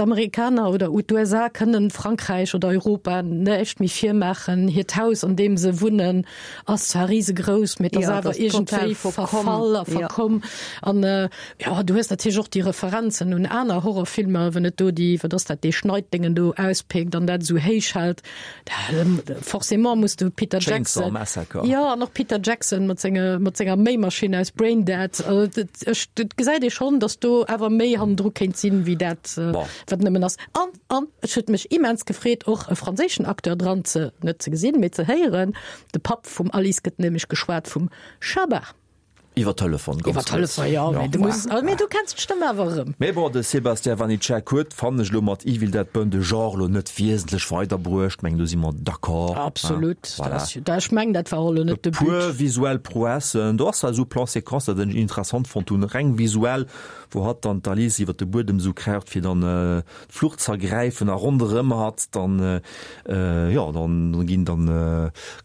D'Amerikaner oder d'USA kënnen Frankräich oder Europa näischt méi virmaachen. Hiert Haus, an deem se wunnen, ass zwar risegrouss, mee et ass awer iergendwéi verfall a verkomm. An jo, du hues natierlech och déi Referenzen un aner Horrorfilmer, wann et do déi, wat ass dat, dee Schneiddengen do auspéckt an dat esou héich hält. Forcément muss du Peter Chainsaw Jackson Massacre. Jo, an och Peter Jackson mat senge mat senger Méimaschinn aus Braindead. Also dat ech dat gesäit ee schonn, datt do awer méi hannendru kéint sinn, wéi dat Bon. wat nëmmen ass. An an ech huet mech immens gefreet, och e franséischen Acteur dran ze net ze gesinn, mee ze héieren. De Papp vum Alice gëtt nämlech geschwat vum Chabat. Iwwer Telefon, ganz Iwwer Telefon, ja, mee du muss, mee du kenns d'Stëmm awer erëm. Mee bon, de Sébastien Vanicek huet, fannen ech elo, mat Evil Dead Burn de Genre elo net wiesentlech weiderbruecht. Mengen, do si mer d'accord. Absolut. Voilà. Dat, ech mengen, dat war och elo net de But. E puer visuell Prouessen, do ass zwar esou Plan-séquence, dat ech interessant fonnt hunn, reng visuell, wou hatt dann d'Alice iwwer de Buedem esou kraucht, fir dann d'Flucht z'ergräifen a ronderëm hatt dann, jo, dann ginn dann,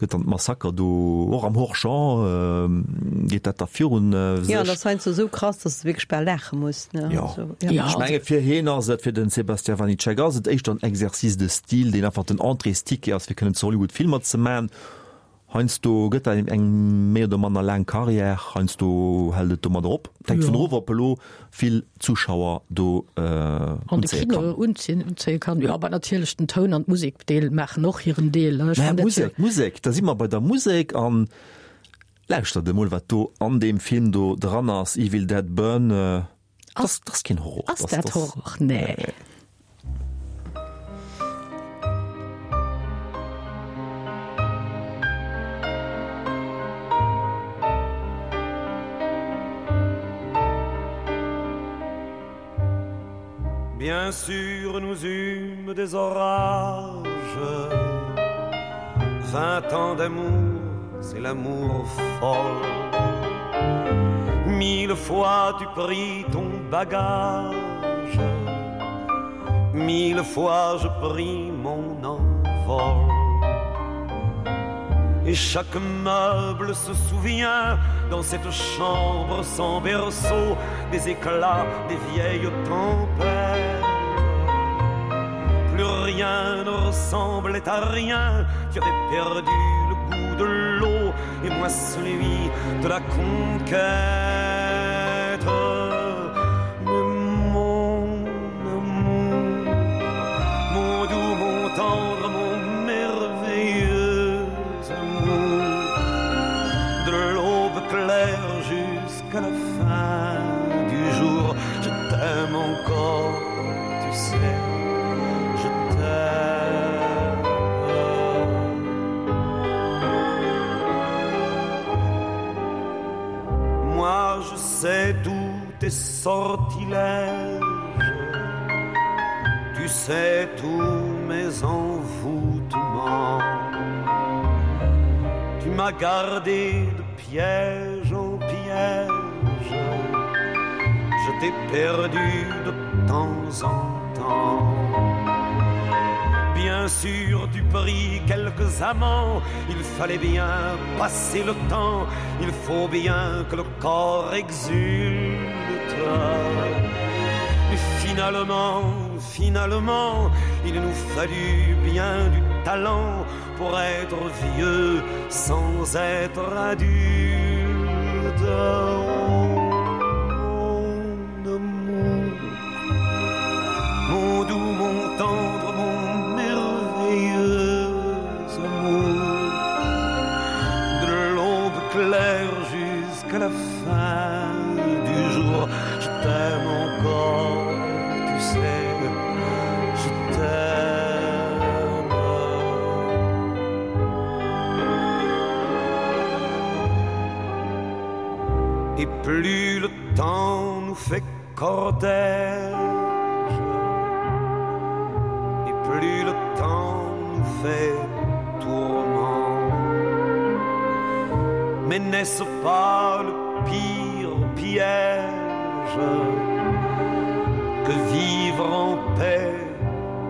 gëtt dann d'Massaker do och am Hors-champ geet dat da virun sech. Jo, an ass heiansdo esou krass, dass de wierklech bal laache muss, ne? Jo, ech menge fir hien ass et, fir den Sébastien Vanicek ass et éischter en Exercice de style, deen einfach den Entréesticket ass, fir kënnen zu Hollywood Filmer ze man. Heiansdo gëtt dat eng méi oder manner laang Carrière, heiansdo hält et domadder op. Et hänkt vun of, ob elo vill Zuschauer do An de unzéie Kino kann. unzéien, unzéie kann. Jo, awer natierlech den Toun an d'Musek, Deel maachen och hiren Deel. Ech Mä fannen dat jo. Musek, Musek, da si mer bei der Musek an lauschtert emol, wat do an deem Film do dran ass, Evil Dead Burn. Ass, das keen Horror. Ass dat Horror? Nee. Bien sûr nous eûmes des orages Vingt ans d'amour, c'est l'amour folle Mille fois tu pris ton bagage Mille fois je pris mon envol Et chaque meuble se souvient dans cette chambre sans berceau des éclats des vieilles tempêtes. Plus rien ne ressemblait à rien, tu avais perdu le goût de l'eau et moi celui de la conquête. Mais mon amour, mon doux, mon tendre, mon merveilleux amour, de l'aube claire jusqu'à la fin du jour, je t'aime encore, tu sais, je t'aime. Moi je sais d'où tes sortilèges, tu sais tous mes envoûtements. Tu m'as gardé de piège en piège, je t'ai perdu de temps en temps. Bien sûr tu pris quelques amants, il fallait bien passer le temps, il faut bien que le corps exulte. Mais finalement, finalement, il nous fallut bien du talent pour être vieux sans être adulte. Mon amour, mon doux, mon tendre, mon merveilleux amour, de l'aube claire jusqu'à la fin du jour, je t'aime encore, tu sais, je t'aime. Et plus le temps nous fait cortège, et plus le temps nous fait tourment. Mais n'est-ce pas le pire piège que vivre en paix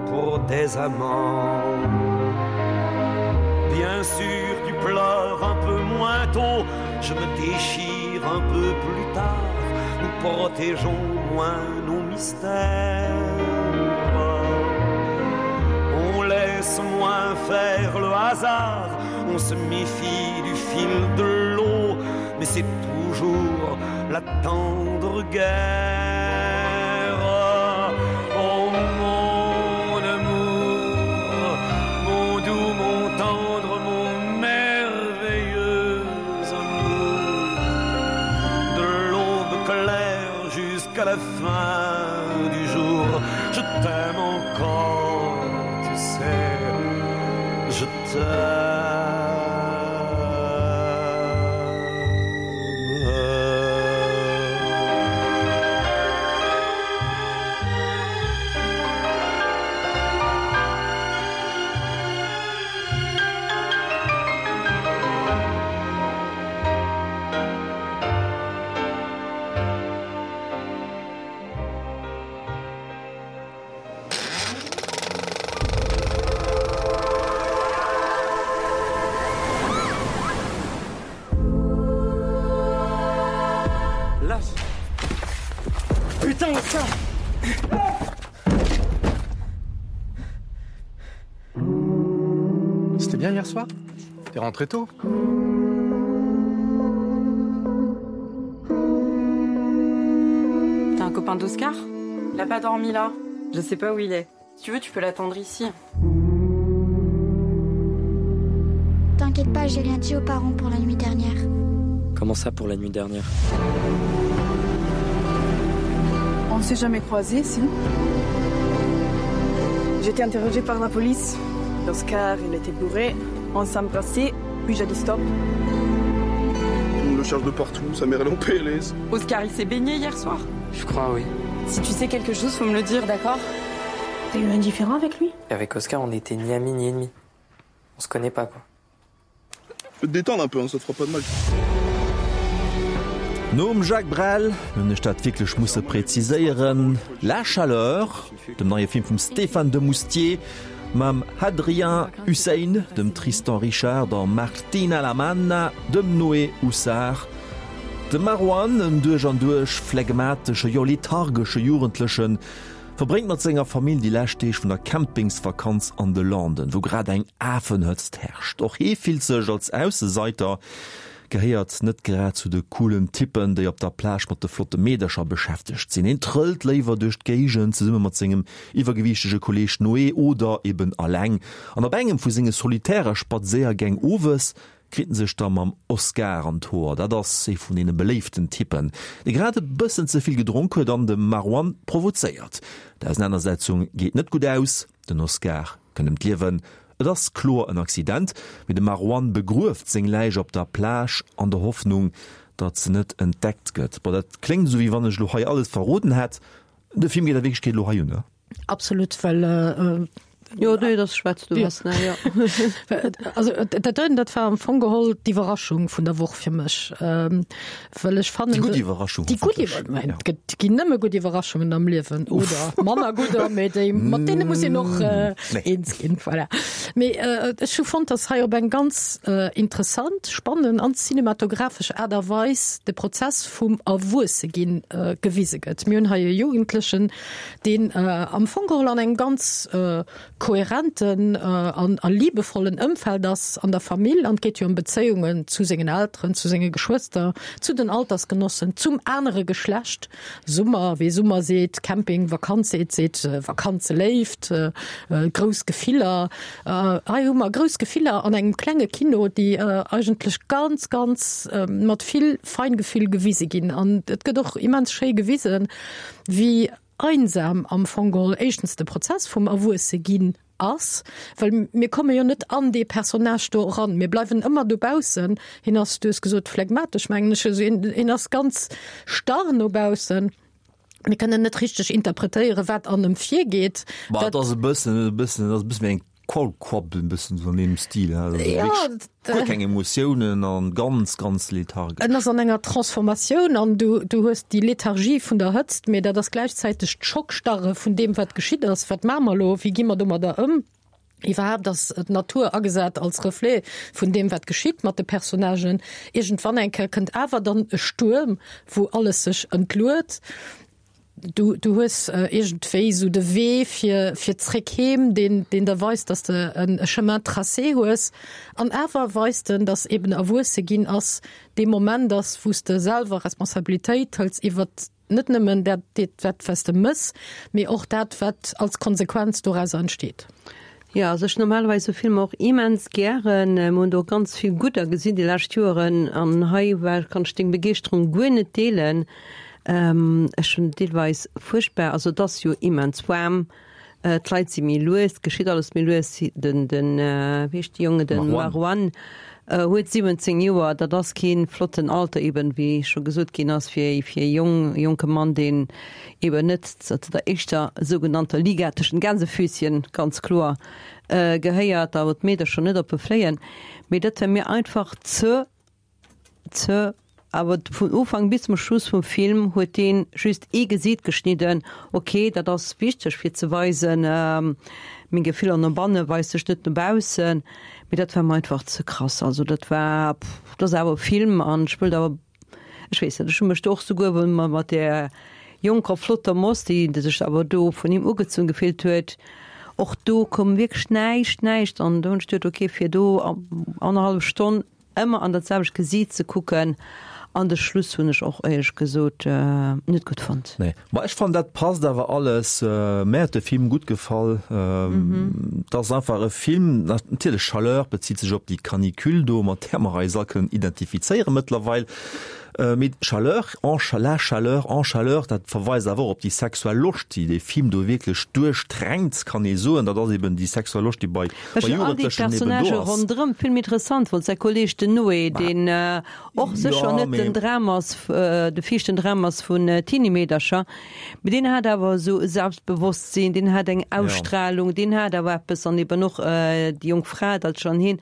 pour des amants? Bien sûr, tu pleures un peu moins tôt, je me déchire un peu plus tard, nous protégeons moins nos mystères. On laisse moins faire le hasard, on se méfie du fil de l'eau, mais c'est toujours la tendre guerre. Oh mon amour, mon doux, mon tendre, mon merveilleux amour, de l'aube claire jusqu'à la fin du jour, je t'aime encore, tu sais, je t'aime. Putain, ça C'était bien hier soir? T'es rentré tôt? T'as un copain d'Oscar? Il a pas dormi là. Je sais pas où il est. Si tu veux, tu peux l'attendre ici. T'inquiète pas, j'ai rien dit aux parents pour la nuit dernière. Comment ça pour la nuit dernière? On ne s'est jamais croisé, si. J'étais interrogé par la police. Oscar, il était bourré. On s'embrassait, puis j'ai dit stop. On le cherche de partout, sa mère elle est en PLS. Oscar, il s'est baigné hier soir. Je crois, oui. Si tu sais quelque chose, faut me le dire, d'accord T'as eu un différent avec lui Avec Oscar, on n'était ni amis ni ennemis. On se connaît pas, quoi. Peux te détendre un peu, hein, ça te fera pas de mal. Nom Jacques Brel hunn ech dat wierklech musse präziséieren, La Chaleur, dem neie Film vum Stéphane Demoustier mam Hadrien Hussein, dem Tristan Richard, der Martina La Manna, dem Noé Houssard. De Marwan, en duerch an duerch phlegmatesche, jo lethargesche Jugendlechen, verbréngt mat senger Famill déi lescht Deeg vun der Campingsvakanz an de Landen, wou grad eng Afenhëtzt herrscht. Och hee fillt sech als Ausseseiter, gehéiert net grad zu de coolen Typpen, déi op der Plage mat de flotte Meedercher beschäftegt sinn. Hien trëllt léiwer duerch d'Géigend zesumme mat sengem iwwergewiichtege Kolleeg Noé oder eben alleng. An op engem vu senge solitäre Spadséiergäng owes kritt en sech da mam Oscar an d'Hoer. Dat ass ee vun deene beléiften Typpen, dee grad e bëssen ze vill gedronk huet an de Marwan provozéiert. D'Ausenanersetzung geet net gutt aus, den Oscar kënnt ëm d'Liewen. Et ass kloer en Accident, mee de Marwan begrueft seng Läich op der Plage an der Hoffnung, datt se net entdeckt gëtt. Bon, dat kléngt esou, wéi wann ech elo hei alles verroden hätt. De Film geet a Wierklechkeet elo hei un, ne? Absolut, well Jo, nee, das schwätzt du was, ne, ja. Also dat doten, dat war am Fong geholl d'Iwwerraschung vun der Woch fir mech, ähm, well ech fannen. Déi gutt Iwwerraschung. Déi gutt Iwwer-, ja. Et gëtt, ginn nëmme gutt Iwwerraschungen am Liewen, oder manner gudder, mee déi, mat deene muss een och äh, nee. eens ginn, voilà. Mee äh, ech hu fonnt, dass hei op eng ganz äh, interessant, spannend an cinematographesch Aart a Weis de Prozess vum Erwuesseginn äh, gewise gëtt. Mir hunn hei e Jugendlechen, deen am Fong geholl an engem ganz kohärenten an a liebevollen Ëmfeld ass an der Famill, an et geet jo ëm Bezéiungen zu sengen Elteren, zu senge Geschwëster, zu den Altersgenossen, zum anere Geschlecht, Summer, wee Summer seet, Camping, Vakanz seet, seet Vakanzeléift, grouss Gefiller. Hei hu mer grouss Gefiller an engem klenge Kino, déi eigentlech ganz, ganz mat vill Feingefühl gewise ginn. An et gëtt och immens schéi gewisen, wéi einsam am Fong geholl éischtens de Prozess vum Erwuesseginn ass, well mir komme jo net an dee Personnage do eran, mir bleiwen ëmmer dobaussen. Hien ass, du hues gesot phlegmatesch, mengen ech, also hien ass ganz starr no baussen. Mir kënnen net richteg interpretéieren, wat an em virgeet. Ma et ass e bëssen, e bëssen, et ass e bësse wéi eng Kaulquapp, e bëssen esou an deem Stil, also Ja, wierklech guer keng Emotiounen an ganz, ganz lethargesch. En ass an enger Transformatioun an du, du hues déi Lethargie vun der Hëtzt, mee dat ass gläichzäiteg d'Schockstarre vun deem, wat geschitt ass. Wat maache mer elo? Wéi gi mer domadder ëm? Iwwerhaapt ass d'Natur agesat als Reflet vun deem, wat geschitt mat de Personnagen. Iergendwann eng Kéier kënnt awer dann e Stuerm, wou alles sech entluet. Du, du hues iergendwéi esou de Wee fir, fir zréck heem, deen, deen der weist, dass de en e Chemin tracé hues. An awer weist en, dass eben erwuesse ginn ass dee Moment ass, wou s de selwer Responsabilitéit hëls iwwert net nëmmen dat, dat, wat s de mëss, mee och dat, wat als Konsequenz dorauser entsteet. Jo, also ech normalerweis sou Filmer och immens gären. Mer hunn do och ganz vill gudder gesinn déi lescht Joeren an hei war, kann ech deng Begeeschterung guer net deelen. Ech hunn deelweis fuerchtbar, also et ass jo immens waarm, d'Leit si méi lues, et geschitt alles méi lues. Den, den, wéi heescht de Jonge, den Marwan huet 17 Joer, dat ass kee flotten Alter eben, wéi scho gesot ginn ass, fir fir e jong, jonke Mann, deen eben net zu der éischter sougenannter Liga tëschent Gänsefüßchen, ganz kloer, gehéiert, da wou d'Meedercher net op e fléien. Mee dat war mir einfach ze, ze, awer vun Ufank bis zum Schluss vum Film huet dee just ee Gesiit geschnidden. Ok, dat ass wichteg fir ze weisen, meng Gefiller no banne weist sech net no baussen, mee dat war mir einfach ze krass. Also dat war, dat ass awer e Film an ech wëllt awer Ech weess net, ech hu mech do och souguer, wou mer mat där jonker flotter Moss, déi sech awer do vun him ugezunn gefillt huet, Och do koum wierklech näischt, näischt an do hunn ech geduet, okay, fir do annerhallef Stonn ëmmer an dat selwecht Gesiit ze kucken an de Schluss hunn ech och éierlech gesot net gutt fonnt. Nee, ma ech fannen dat passt awer alles. Mär huet de Film gutt gefall. Et ass einfach e Film, natierlech Chaleur bezitt sech op déi Canicule do, mat där mer eis all kënnen identifizéiere mëttlerweil. Mee Chaleur, en la chaleur, en chaleur, dat verweist awer och op déi sexuell Loscht, déi dee Film do wierklech duerchdrängt, kann ee soen. Dat ass eben déi sexuell Loscht, déi bei bei Jugendlechen eben do ass. Ronderëm vill méi interessant wollt säi Kolleg den Noé, deen och sécher net den Dram ass, de viischten Dram ass vun Teenie-Meedercher, mee deen hat awer esou e Selbstbewosstsinn, deen hat eng Ausstrahlung, deen hat awer eppes an eben och déi jonk Fra, d'Altschan Heen.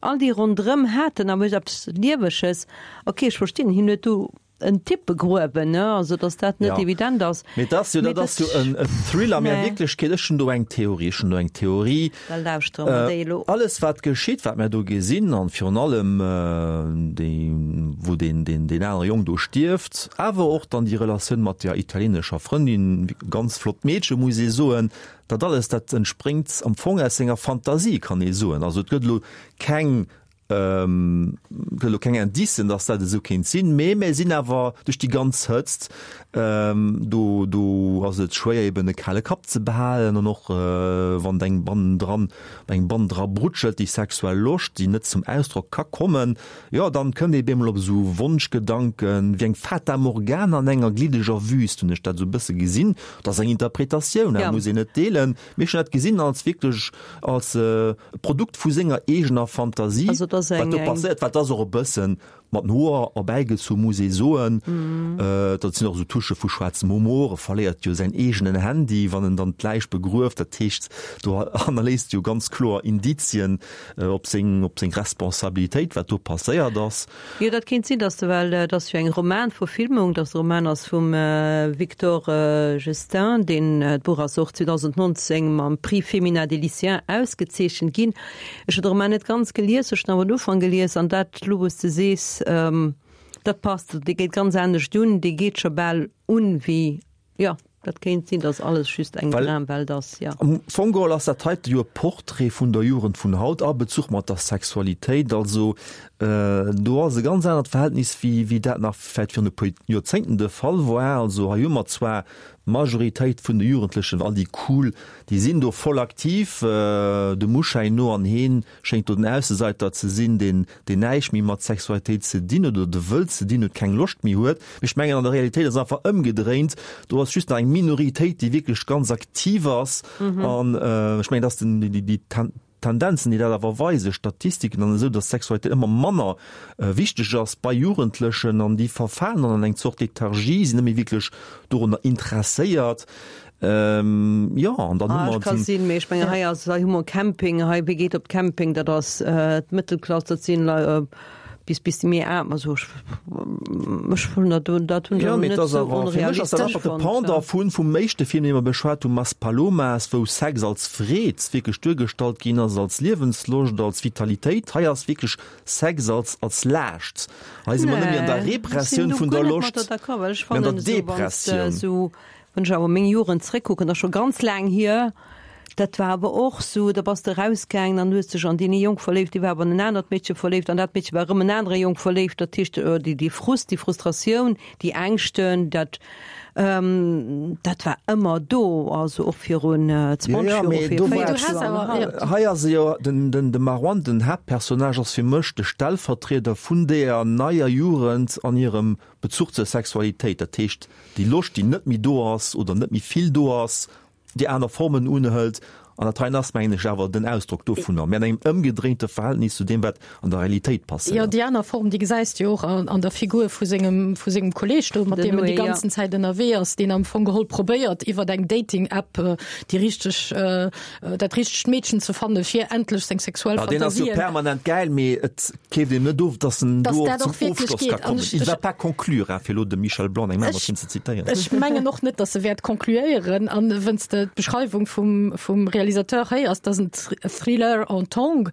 All déi ronderëm haten awer eppes Lieweges. Ok, ech verstinn, hien huet do en Typ begruewen, ne, also datt dat net evident ass. Mee dat ass jo, dat ass jo en Thriller. Mee a Wierklechkeet, ech hunn do eng Theorie, ech hunn do eng Theorie. Da lauschtere mer déi elo. Alles wat geschitt, wat mer do gesinn, an virun allem déi, wou deen, deen, deen anere Jong do stierft, awer och dann déi Relatioun mat der italienescher Frëndin, ganz flott Meedche muss ee soen, Dat alles, dat entspréngt am Fong aus senger Fantasie, kann ee soen. Also et gëtt elo keng, gëtt elo keng Indicen, datt dat esou kéint sinn, mee mir sinn awer duerch déi ganz Hëtzt, do, do ass et schwéier eben e kale Kapp ze behalen an och wann et engem bannendran, engem bannendra brutschelt, déi sexuell Loscht, déi net zum Ausdrock ka kommen, jo, dann kënnt ee bemol op esou Wonschgedanken, wéi eng Fata Morgana an enger gliddeger Wüst, hunn ech dat esou e bësse gesinn. Dat ass eng Interpretatioun, dat muss een net deelen. Mee ech hunn dat gesinn als wierklech als e Produkt vu senger eegener Fantasie, wat do passéiert. Wat ass och e bëssen mat den Hoer erbäigezu, muss ee soen. Dat sinn och esou Touchë vu schwaarzem Humor. E verléiert jo säin eegenen Handy, wann en dann d'Läich begrueft. Dat heescht, do hannerléisst e jo ganz kloer Indizien op seng, op seng Responsabilitéit, wat do passéiert ass. Jo, dat kéint sinn, dass de, well et ass jo eng Romanverfilmung, dass de Roman ass vum Victor Jestin, deen, d'Buch ass och 2019 mam Prix Femina des Lycéens ausgezeechent ginn. Ech hunn de Roman net ganz gelies, ech hunn awer den Ufank gelies an dat elo, wou s de sees, dat passt, dee geet ganz anescht un, dee geet scho bal un wéi Jo, dat kéint sinn, dass alles just eng Dramwelt ass, jo. Am Fong geholl ass dat heite jo e Portrait vun der Jugend vun haut a Bezuch mat der Sexualitéit. Also do ass e ganz anert Verhältnis wéi wéi dat nach vläicht virun e puer Joerzéngten de Fall war. Also hei hu mer zwar d'Majoritéit vun de Jugendlechen, all déi cool, déi sinn do voll aktiv, dem Uschäin no, an heen schéngt do den Ausseseiter ze sinn, deen deen näischt méi mat Sexualitéit ze dinn huet oder de Wëll ze dinn huet, keng Loscht méi huet. Mee ech mengen, an der Realitéit ass et einfach ëmgedréint, do ass just nach eng Minoritéit, déi wierklech ganz aktiv ass. An ech mengen, dass den, déi, déi Tendenzen, déi dat awer weisen, Statistiken an esou, dass Sexualitéit ëmmer manner wichteg ass bei Jugendlechen an déi verfalen dann an eng Zort Lethargie, sinn net méi wierklech dorunner interesséiert. Ähm, jo, an dann hu Ah, mer ech ka sinn, mee ech mengen, hei ass, hei hu mer Camping, hei, wie geet op Camping, dat ass d'Mëttelklass, dat sinn Lei bis, bis déi méi aarm, also ech, ech hunn dat, dat hunn ech Jo, awer mee net et ass esou awer, fir mech ass dat onrealistesch einfach de fonnt. Pendant vun, vum éischte Film, dee mer beschwat hunn, Maspalomas, wou Sex als Freed wierklech duergestallt ginn ass, als Liewensloscht, als Vitalitéit. Hei ass wierklech Sex als, als Laascht. Hei si mer net méi an der Nee, ech sinn Repressioun do vun guer der net mat Loscht, der d'accord, well ech mee an der fannen esou, wann s de Depressioun. esou Wann ech awer meng Jugend zréckkucken, dat ass scho ganz laang hier, dat war awer och sou, da bass de erausgaangen an hues dech an deen ee Jong verléift, dee war awer an en anert Meedche verléift an dat Meedche war erëm en anere Jong verléift. Dat heescht, déi, dee Frust, déi Frustratioun, déi Ängschten, dat, dat war ëmmer do, also och virun 20 Jo, jo, Joer, mee vir do war 40 Joer an haut. Hei ass e jo, den, den, de Marwan, den Haaptpersonnage ass fir mech de Stellvertrieder vun deeër neier Jugend an hirem Bezuch zur Sexualitéit, dat heescht déi Loscht, déi net méi do ass oder net méi vill do ass, déi aner Formen unhëlt. An dat heien ass, mengen ech, awer den Ausdrock dovunner, mä an engem ëmgedréinte Verhältnis zu deem, wat an der Realitéit Jo, passéiert. déi aner Form, déi gesäis de jo och an der Figur vu sengem, vu sengem Kolleeg do, mat Den deem en déi Noé, jo. ganzen Zäit ënnerwee ass, deen am Fong geholl probéiert, iwwer eng Dating-App déi richteg, dat richtegt Meedchen ze fannen, fir endlech seng sexuell Ja, deen ass jo Fantasien. permanent gäil, mee et keeft een net of, dass en Dass do och dat zum och wierklech Ofschloss ka geet. An kommen. ech, Il va ech, pas conclure, hein, fir elo dem Michel Blanc eng ech, Memberschinn ze zitéieren. ech mengen och net, dass e wäert concluéieren. An wënns de d'Beschreiwung vum, vum Realisateur. Realisateur héiers, dat ass en Thriller en Tong,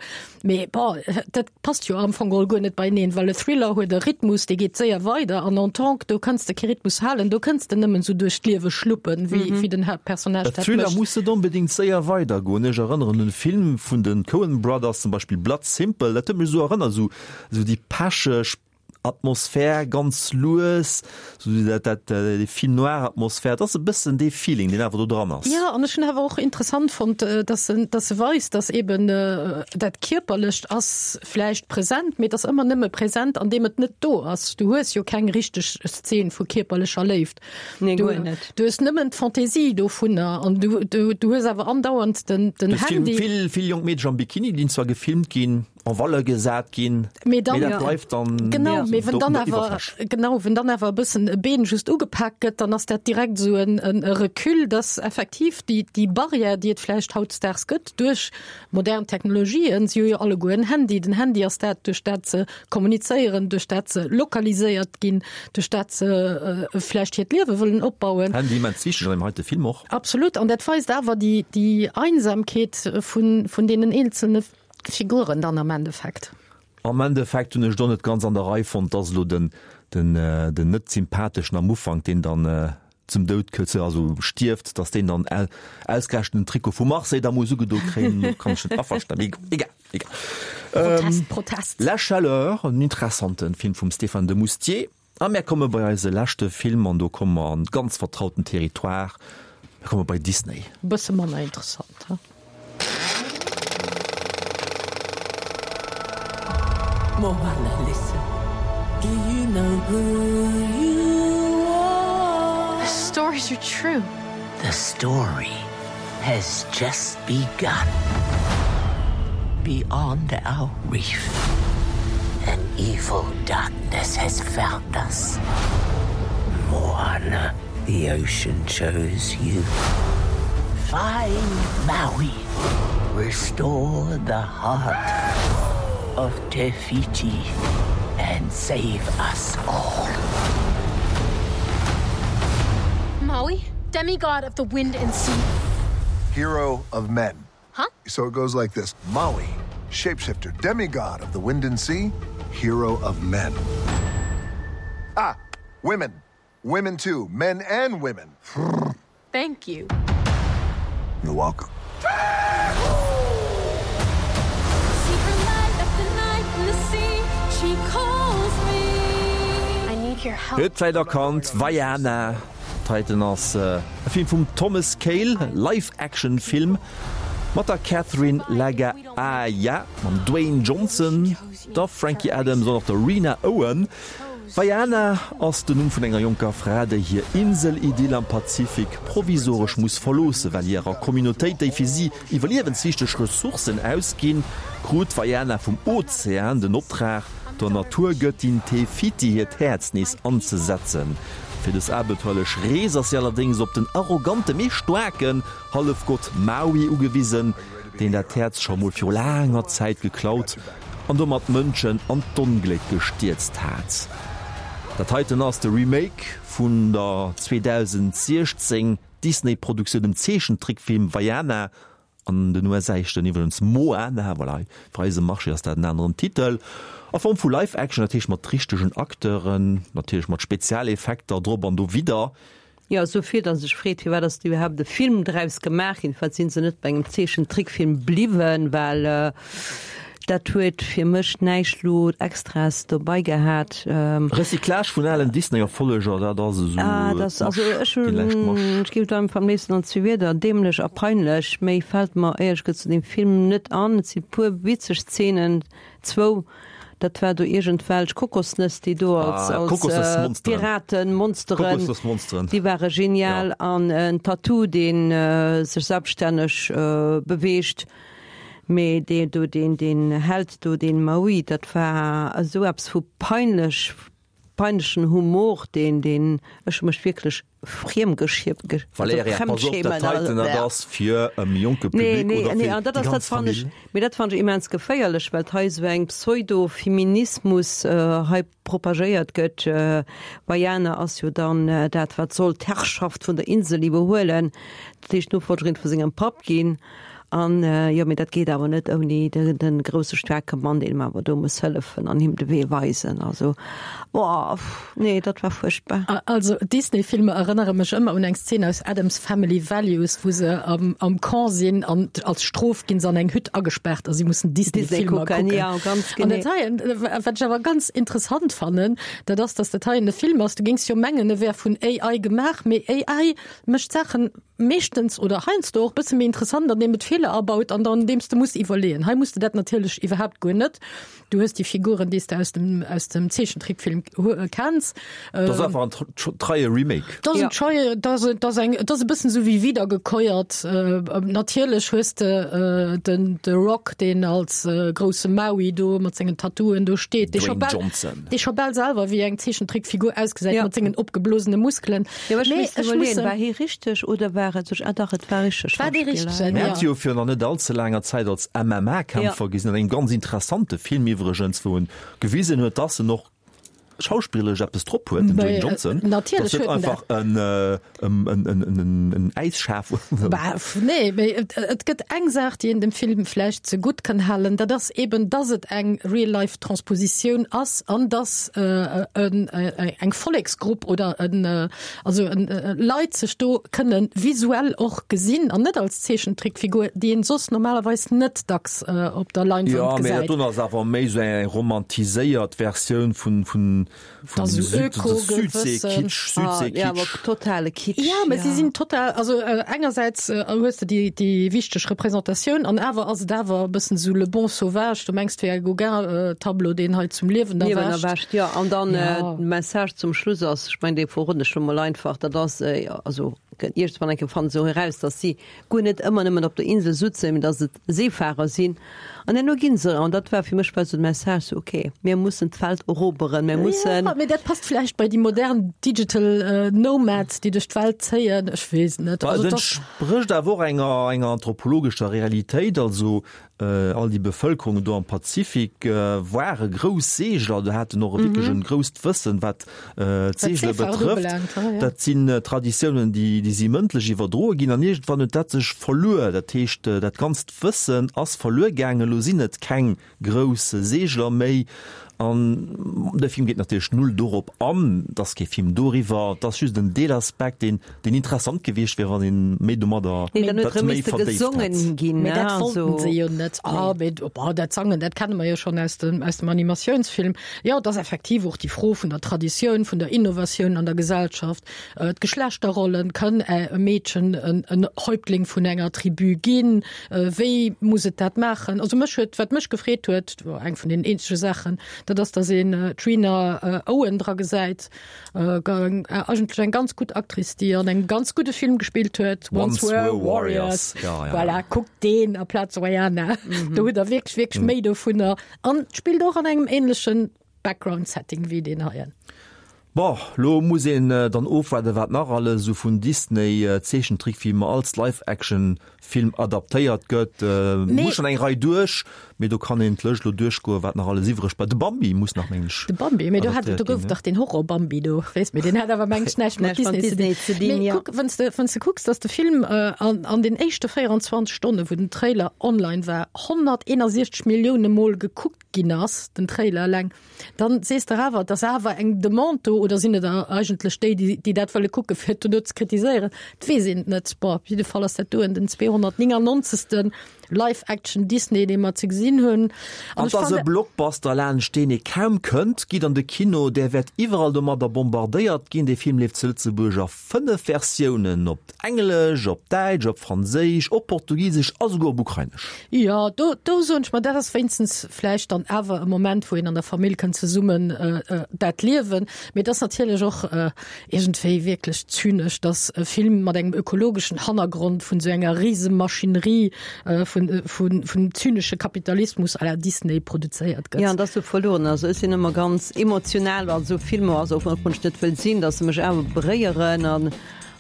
mee bon, dat passt jo am Fong geholl guer net beieneen, well e Thriller huet e Rhythmus, dee geet séier weider an en Tong, do kanns de kee Rhythmus halen, do kënns de nëmmen esou duerch d'Liewe schluppen, wéi wéi den Haaptpersonnage E dat Thriller mécht. muss net onbedéngt séier weidergoen. Ech erënneren un e Film vun de Coen Brothers, zum Beispill Blood Simple, dat huet mech esou erënnert, esou esou déi pecheg Atmosphär, ganz lues, esou dat dat déi Film noir Atmosphär, et ass e bëssen dee Feeling, deen awer do dran ass. Jo, an ech hunn awer och interessant fonnt, dass en dass se weist, dass eben dat Kierperlecht ass vläicht present, mee et ass ëmmer nëmme present, an deem et net do ass. Du hues jo keng richteg Szen vu kierperlecher Léift. Nee, Du, guer net. du hues nëmmen d'Fantaisie dovunner an du du du hues awer andauernd den den Du hues vill Handy. vill vill jonk Meedercher am Bikini, déi zwar gefilmt ginn, en Valeur gesat ginn, mee dann, dat bleift dann genau, mee wenn dann der awer Iwwerfläch. genau, wenn dann awer e bëssen e Been just ugepak gëtt, dann ass dat direkt esou en, en e Recul, dass effektiv déi, déi Barrière, déi et vläicht hautdesdaags gëtt duerch modern Technologien, si hu jo alleguer en Handy, den Handy ass dat, duerch dat se kommunizéieren, duerch dat se lokaliséiert ginn, duerch dat se vläicht hiert Liewe wëllen opbauen. Handy immens wichteg an deem heite Film och. Absolut, an dat weist awer déi, déi Einsamkeet vun, vun deenen eenzelne Figuren dann am Endeffekt. Am Endeffekt hunn ech et och net ganz an der Rei fonnt, dass elo den den den net sympatheschen am Ufank, deen dann zum Doud kënnt, also stierft, dass deen dann ausgerechent den Trikot vu Marseille da muss ugedo kréien, do kann ech net averstanen, mee egal, egal. Protest, Protest. La Chaleur, en interessanten Film vum Stéphane Demoustier. A mär komme bei eise leschte Film an do komme mer an ganz vertrauten Territoire, mir komme bei Disney. Bësse manner interessant, he? Moana, listen, do you know who you are? The stories are true. The story has just begun. Beyond our reef, an evil darkness has found us. Moana, the ocean chose you. Find Maui. Restore the heart of Te Fiti and save us all. Maui, demigod of the wind and sea. Hero of men. Huh? So it goes like this. Maui, shapeshifter, demigod of the wind and sea, hero of men. Ah, women. Women too, men and women. Thank you. You're welcome. Huet d'Welt erkannt, Vaiana. Titan ass e Film vum Thomas Kail, Live-Action-Film mat der Catherine Laga'aia, mam Dwayne Johnson, der Frankie Adams an och der Rena Owen. Vaiana ass den Numm vun enger jonker Fra, déi hir Insel-Idyll am Pazifik provisoresch muss verloossen, well hirer Communautéit déi fir si iwwerliewenswichteg Ressourcen ausginn. Krut d'Vaiana vum Ozean den Optrag, der Naturgëttin Te Fiti hiert Häerz nees anzesetzen. Fir dës abenteuerlech Rees ass si allerdéngs op den arrogante mee staarken Hallefgott Maui ugewisen, deen dat Häerz scho mol viru laanger Zäit geklaut an domat d'Mënschen an d'Ongléck gestierzt hat. Dat heiten ass de Remake vun der 2016 Disney-Produktioun, dem Zeechentrickfilm Vaiana, an den USA heescht en iwwregens Moana, voilà, fir eise Marché ass dat en aneren Titel, a Form vu Live-Action, dat heescht mat richtegen Acteuren, natierlech mat Spezialeffekter drop an dowidder. Jo, esou vill, datt ee sech freet, firwat ass do iwwerhaapt e Film draus gemaach ginn? Firwat si se net bei engem Zeechentrickfilm bliwwen? Well dat huet fir mech näischt lo Extraes dobei gehat. Recyclage vun alen Disney-Erfolleger, dat ass esou Ah, dat, also ech déi lescht hunn, Masch. ech géif et einfach am léifsten an zwee Wierder, dämlech a peinlech. Méi fält mer éierlech gesot zu deem Film net an. Et si puer witzeg Zeenen, zwou, dat war do iergendwelch Kokosnëss, déi do als, Ah, als Kokosnëssmonsteren. Piraten, Monsteren, Kokosnëssmonsteren. déi ware genial. Ja. An en Tattoo, dee sech selbststänneg beweegt. Mee dee do, deen, deen Held do, deen Maui, dat war esou eppes vu peinlech, peinlechen Humor, deen, deen, ech hu mech wierklech friemgeschie-, ge, also Valerija, pass op, dat fremdschämen, heiten, dat ass fir e méi jonke Nee, Public nee, oder nee, fir an dat déi ass, dat ganz fannen ech, Famill. mee dat fannen ech immens geféierlech, well hei esou eng Pseudo-Feminismus hei propagéiert gëtt. Vaiana ass jo dann dat, wat soll d'Herrschaft vun der Insel iwwerhuelen, dat heescht d'Nofolgerin vu sengem Papp ginn. An jo, mee dat geet awer net ouni de grousse staarke Mann, deen him awer do muss hëllefen an him de Wee weisen. Also, boah, nee, dat war fuerchtbar. Also Disney-Filmer erënnere mech ëmmer un eng Szen aus Addams Family Values, wou se am am Camp sinn an als Strof ginn se an eng Hütt agespaart a si mussen Disney-Filmer kucken. Ja, ganz genee. An dat heien, wat ech awer ganz interessant fannen, dat ass, datt dat heien e Film ass, du géings jo mengen, e wär vun AI gemaach, mee AI mécht Saachen meeschtens oder heiansdo och bësse méi interessant, andeem et Feeler abaut an dann andeems de muss iwwerleeën. Hei muss de dat natierlech iwwerhaapt guer net. Du hues déi Figuren, déi s de aus dem, aus dem Zeechentrickfilm kenns. Dat ass einfach en treie Remake. Dat ass en treie, dat ass, dat ass eng, dat ass e bëssen esou wéi wiedergekäuert. Natierlech hues de den The Rock, deen als grousse Maui do mat sengen Tattooen do steet, dee scho Dwayne bal, Johnson. dee scho bal selwer wéi eng Zeechentrickfigur ausgesäit mat sengen opgeblosene Muskelen. Jo, ech misst iwwerleeën, war hie richteg oder war et sech, ah dach, et war richteg War dee Schauspiller, richtegen, Mir ja. hat jo virun nach net allze laanger Zäit als MMA-Kämpfer gesinn, an engem ganz interessante Film iwwregens, wou en gewisen huet, dass en och schauspillerlech eppes drop huet, den Dwayne Johnson. Natierlech huet en dat. Einfach en, en, en, en, en Äisschaf. Bah, nee, mee et, et gëtt eng Saach, déi een dem Film vläicht zegutt kann halen, dat ass eben, dass et eng Real-Life-Transpositioun ass an dass, eng Volleksgrupp oder en, also en Leit sech do kënne visuell och gesinn an net als Zeechentrickfigur, déi een soss normalerweis net dacks op der Leinwand Jo, mee gesäit. dat do ass awer méi esou eng romantiséiert Versioun vun, vun, vun Dass dem esou Süd, Öko-Gewëssen. Südsee-Kitsch, Ah, ja, awer Südsee-Kitsch. totale Kitsch, Ja, mä si ja. sinn total, also engersäits hues de déi, déi wichteg Representatioun an awer ass et awer e bëssen esou Le bon sauvage, du mengs, 't wär e Gauguin-Tableau, deen hei zum Liewen Liewen erwächt. Jo, an dann de Message zum Schluss ass, ech mengen, dee verroden ech lo mol einfach, dat ass, also iergendwann eng Kéier fannen se och eraus, datt si guer net ëmmer nëmmen op der Insel sutzen, mee datt et Seefarer sinn. An herno gi se, an dat war fir mech war esou de Message, sou okay, mir mussen d'Welt eroberen, mir mussen. Jo, mee dat passt vläicht bei déi modern digital nomads, déi duerch d'Welt zéien, ech weess et net. Bah, et entsprécht awer och enger enger anthropologescher Realitéit, also All déi Bevëlkerungen do am Pazifik ware grouss Seegler, do haten och wierklech en grousst Wëssen, wat d'Seegele betrëfft. Dat sinn Traditiounen, déi si mëndlech iwwerdroe ginn an iergendwann huet dat sech verluer. Dat heescht, dat ganzt Wëssen ass verluer gaangen. Elo sinn et keng grouss Seegler méi. An de Film geet natierlech null dorop an, et ass kee Film doriwwer, et ass just en Deelaspekt, deen, deen interessant gewiescht wier, wann een méi domadder, Nee, dann huet dat erëm méi misste verdéift gesongen hätt. ginn, Mee ne, dat wollten also. se jo net. Ah, mee oh, dat Sangen, dat kenne mer jo schonn aus dem, aus dem Animatiounsfilm. Jo, et ass effektiv och déi Fro vun der Traditioun, vun der Innovatioun an der Gesellschaft, d'Geschlechterrollen, Kënn e Meedchen en, en Häuptling vun enger Tribu ginn? Wéi muss et dat maachen? Also mech huet, wat mech gefreet huet, eng vun den eenzege Saachen, dat ass, datt een d'Rena Owen dra gesäit, eigentlech eng ganz gutt Actrice, déi an engem ganz gudde Film gespillt huet, Once Were Warriors. Voilà, kuckt deen aplaz Vaiana, do hutt Der wierklech, wierklech méi dovunner an spillt och an engem änlechen Background-Setting wéi deen heien. Bon, lo muss een dann ofwaarden, wat nach alles esou vun Disney-Zeechentrickfilmer als Live-Action-Film adaptéiert gëtt. Muss schonn eng Rei duerch, mee do kann een d'Lëscht lo duerchgoen, wat nach alles iwwreg bleift. De Bambi muss nach, mengen ech, De Bambi, mee do hat, adaptéiert do gouf ginn, ne? dach deen Horror-Bambi do, weess, mee deen hat awer, mengen ech, näischt mat Näischt mat Disney ze Disney dinn. ze dinn, Mee jo. kuck, wann s de, wann s de kucks, dass de Film an, an den éischte 24 Stonnen, wou den Trailer online war, 161 Millioune Mol gekuckt ginn ass, den Trailer eleng, dann sees de awer, et ass awer eng Demande do, oder sinn et eigentlech déi, déi dat wëlle kucken, fir et dono ze kritiséieren? Et weess een et net. Bon, op jidde Fall ass dat doen den 299. Live-Action Disney, dee mer ze gesinn hunn. An et ass e Blockbuster, laanscht deen ee kaum kënnt. Gitt an de Kino, där wäert iwwerall domadder bombardéiert ginn. Dee Film leeft zu Lëtzebuerg a 5 Versiounen, op Englesch, op Däitsch, op Franséisch, op Portugisesch a souguer op Ukrainesch. Jo, do, do soen ech mer, dat ass wéinstens vläicht dann awer e Moment, wou een an der Famill kënnt zesummen dat liewen. Mee et ass natierlech och iergendwéi wierklech zynesch, dass e Film mat engem ökologeschen Hannergrond vun esou enger Risemachinerie vun, vun, vun zynesche Kapitalismus à la Disney produzéiert gëtt. Jo, an et ass sou verloren. Also ech sinn ëmmer ganz emotional bei esou Filmer, also och wann ech net wëll sinn, dass se mech awer beréieren. An,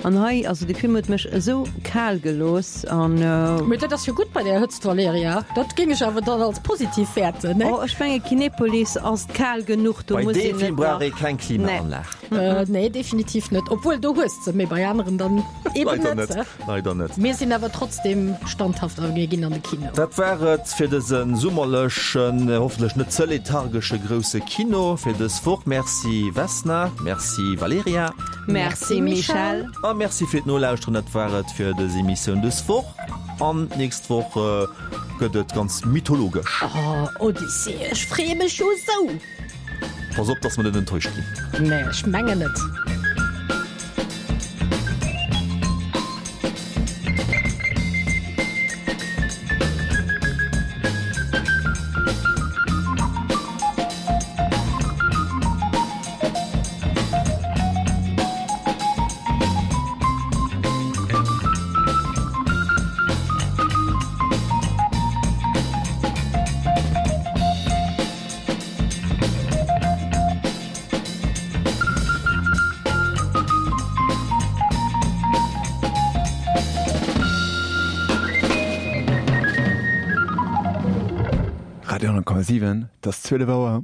an hei, also dee Film huet mech esou kal gelooss an. Mee dat ass jo gutt bei där Hëtzt, Valerija. Dat géing ech awer dann als positiv wäerten, ne? Oh, ech menge Kinepolis ass kal genuch, do Bei muss deem een Film net brauch nach. ee keng Klimaanlag. Nee. Nee, definitiv net. Obwuel, do hues de se, mee bei aneren dann eben Leider net. net, leider net. Mir sinn awer trotzdem standhaft a mir ginn an de Kino. Dat war et fir dëse summerlechen, hoffentlech net ze lethargesche grousse Kino fir dës Woch. Merci Vesna, merci Valerija. Merci Michèle. A merci fir d'Nolauschteren. Dat war et fir dës Emissioun dës Woch. An d'nächst Woch gëtt et ganz mythologesch. Oh, Odyssee, ech freeë mech jo esou! Pass op, dass mer net enttäuscht ginn. Nee, ech mengen net. Radio 10,7, 't ass 12 Auer.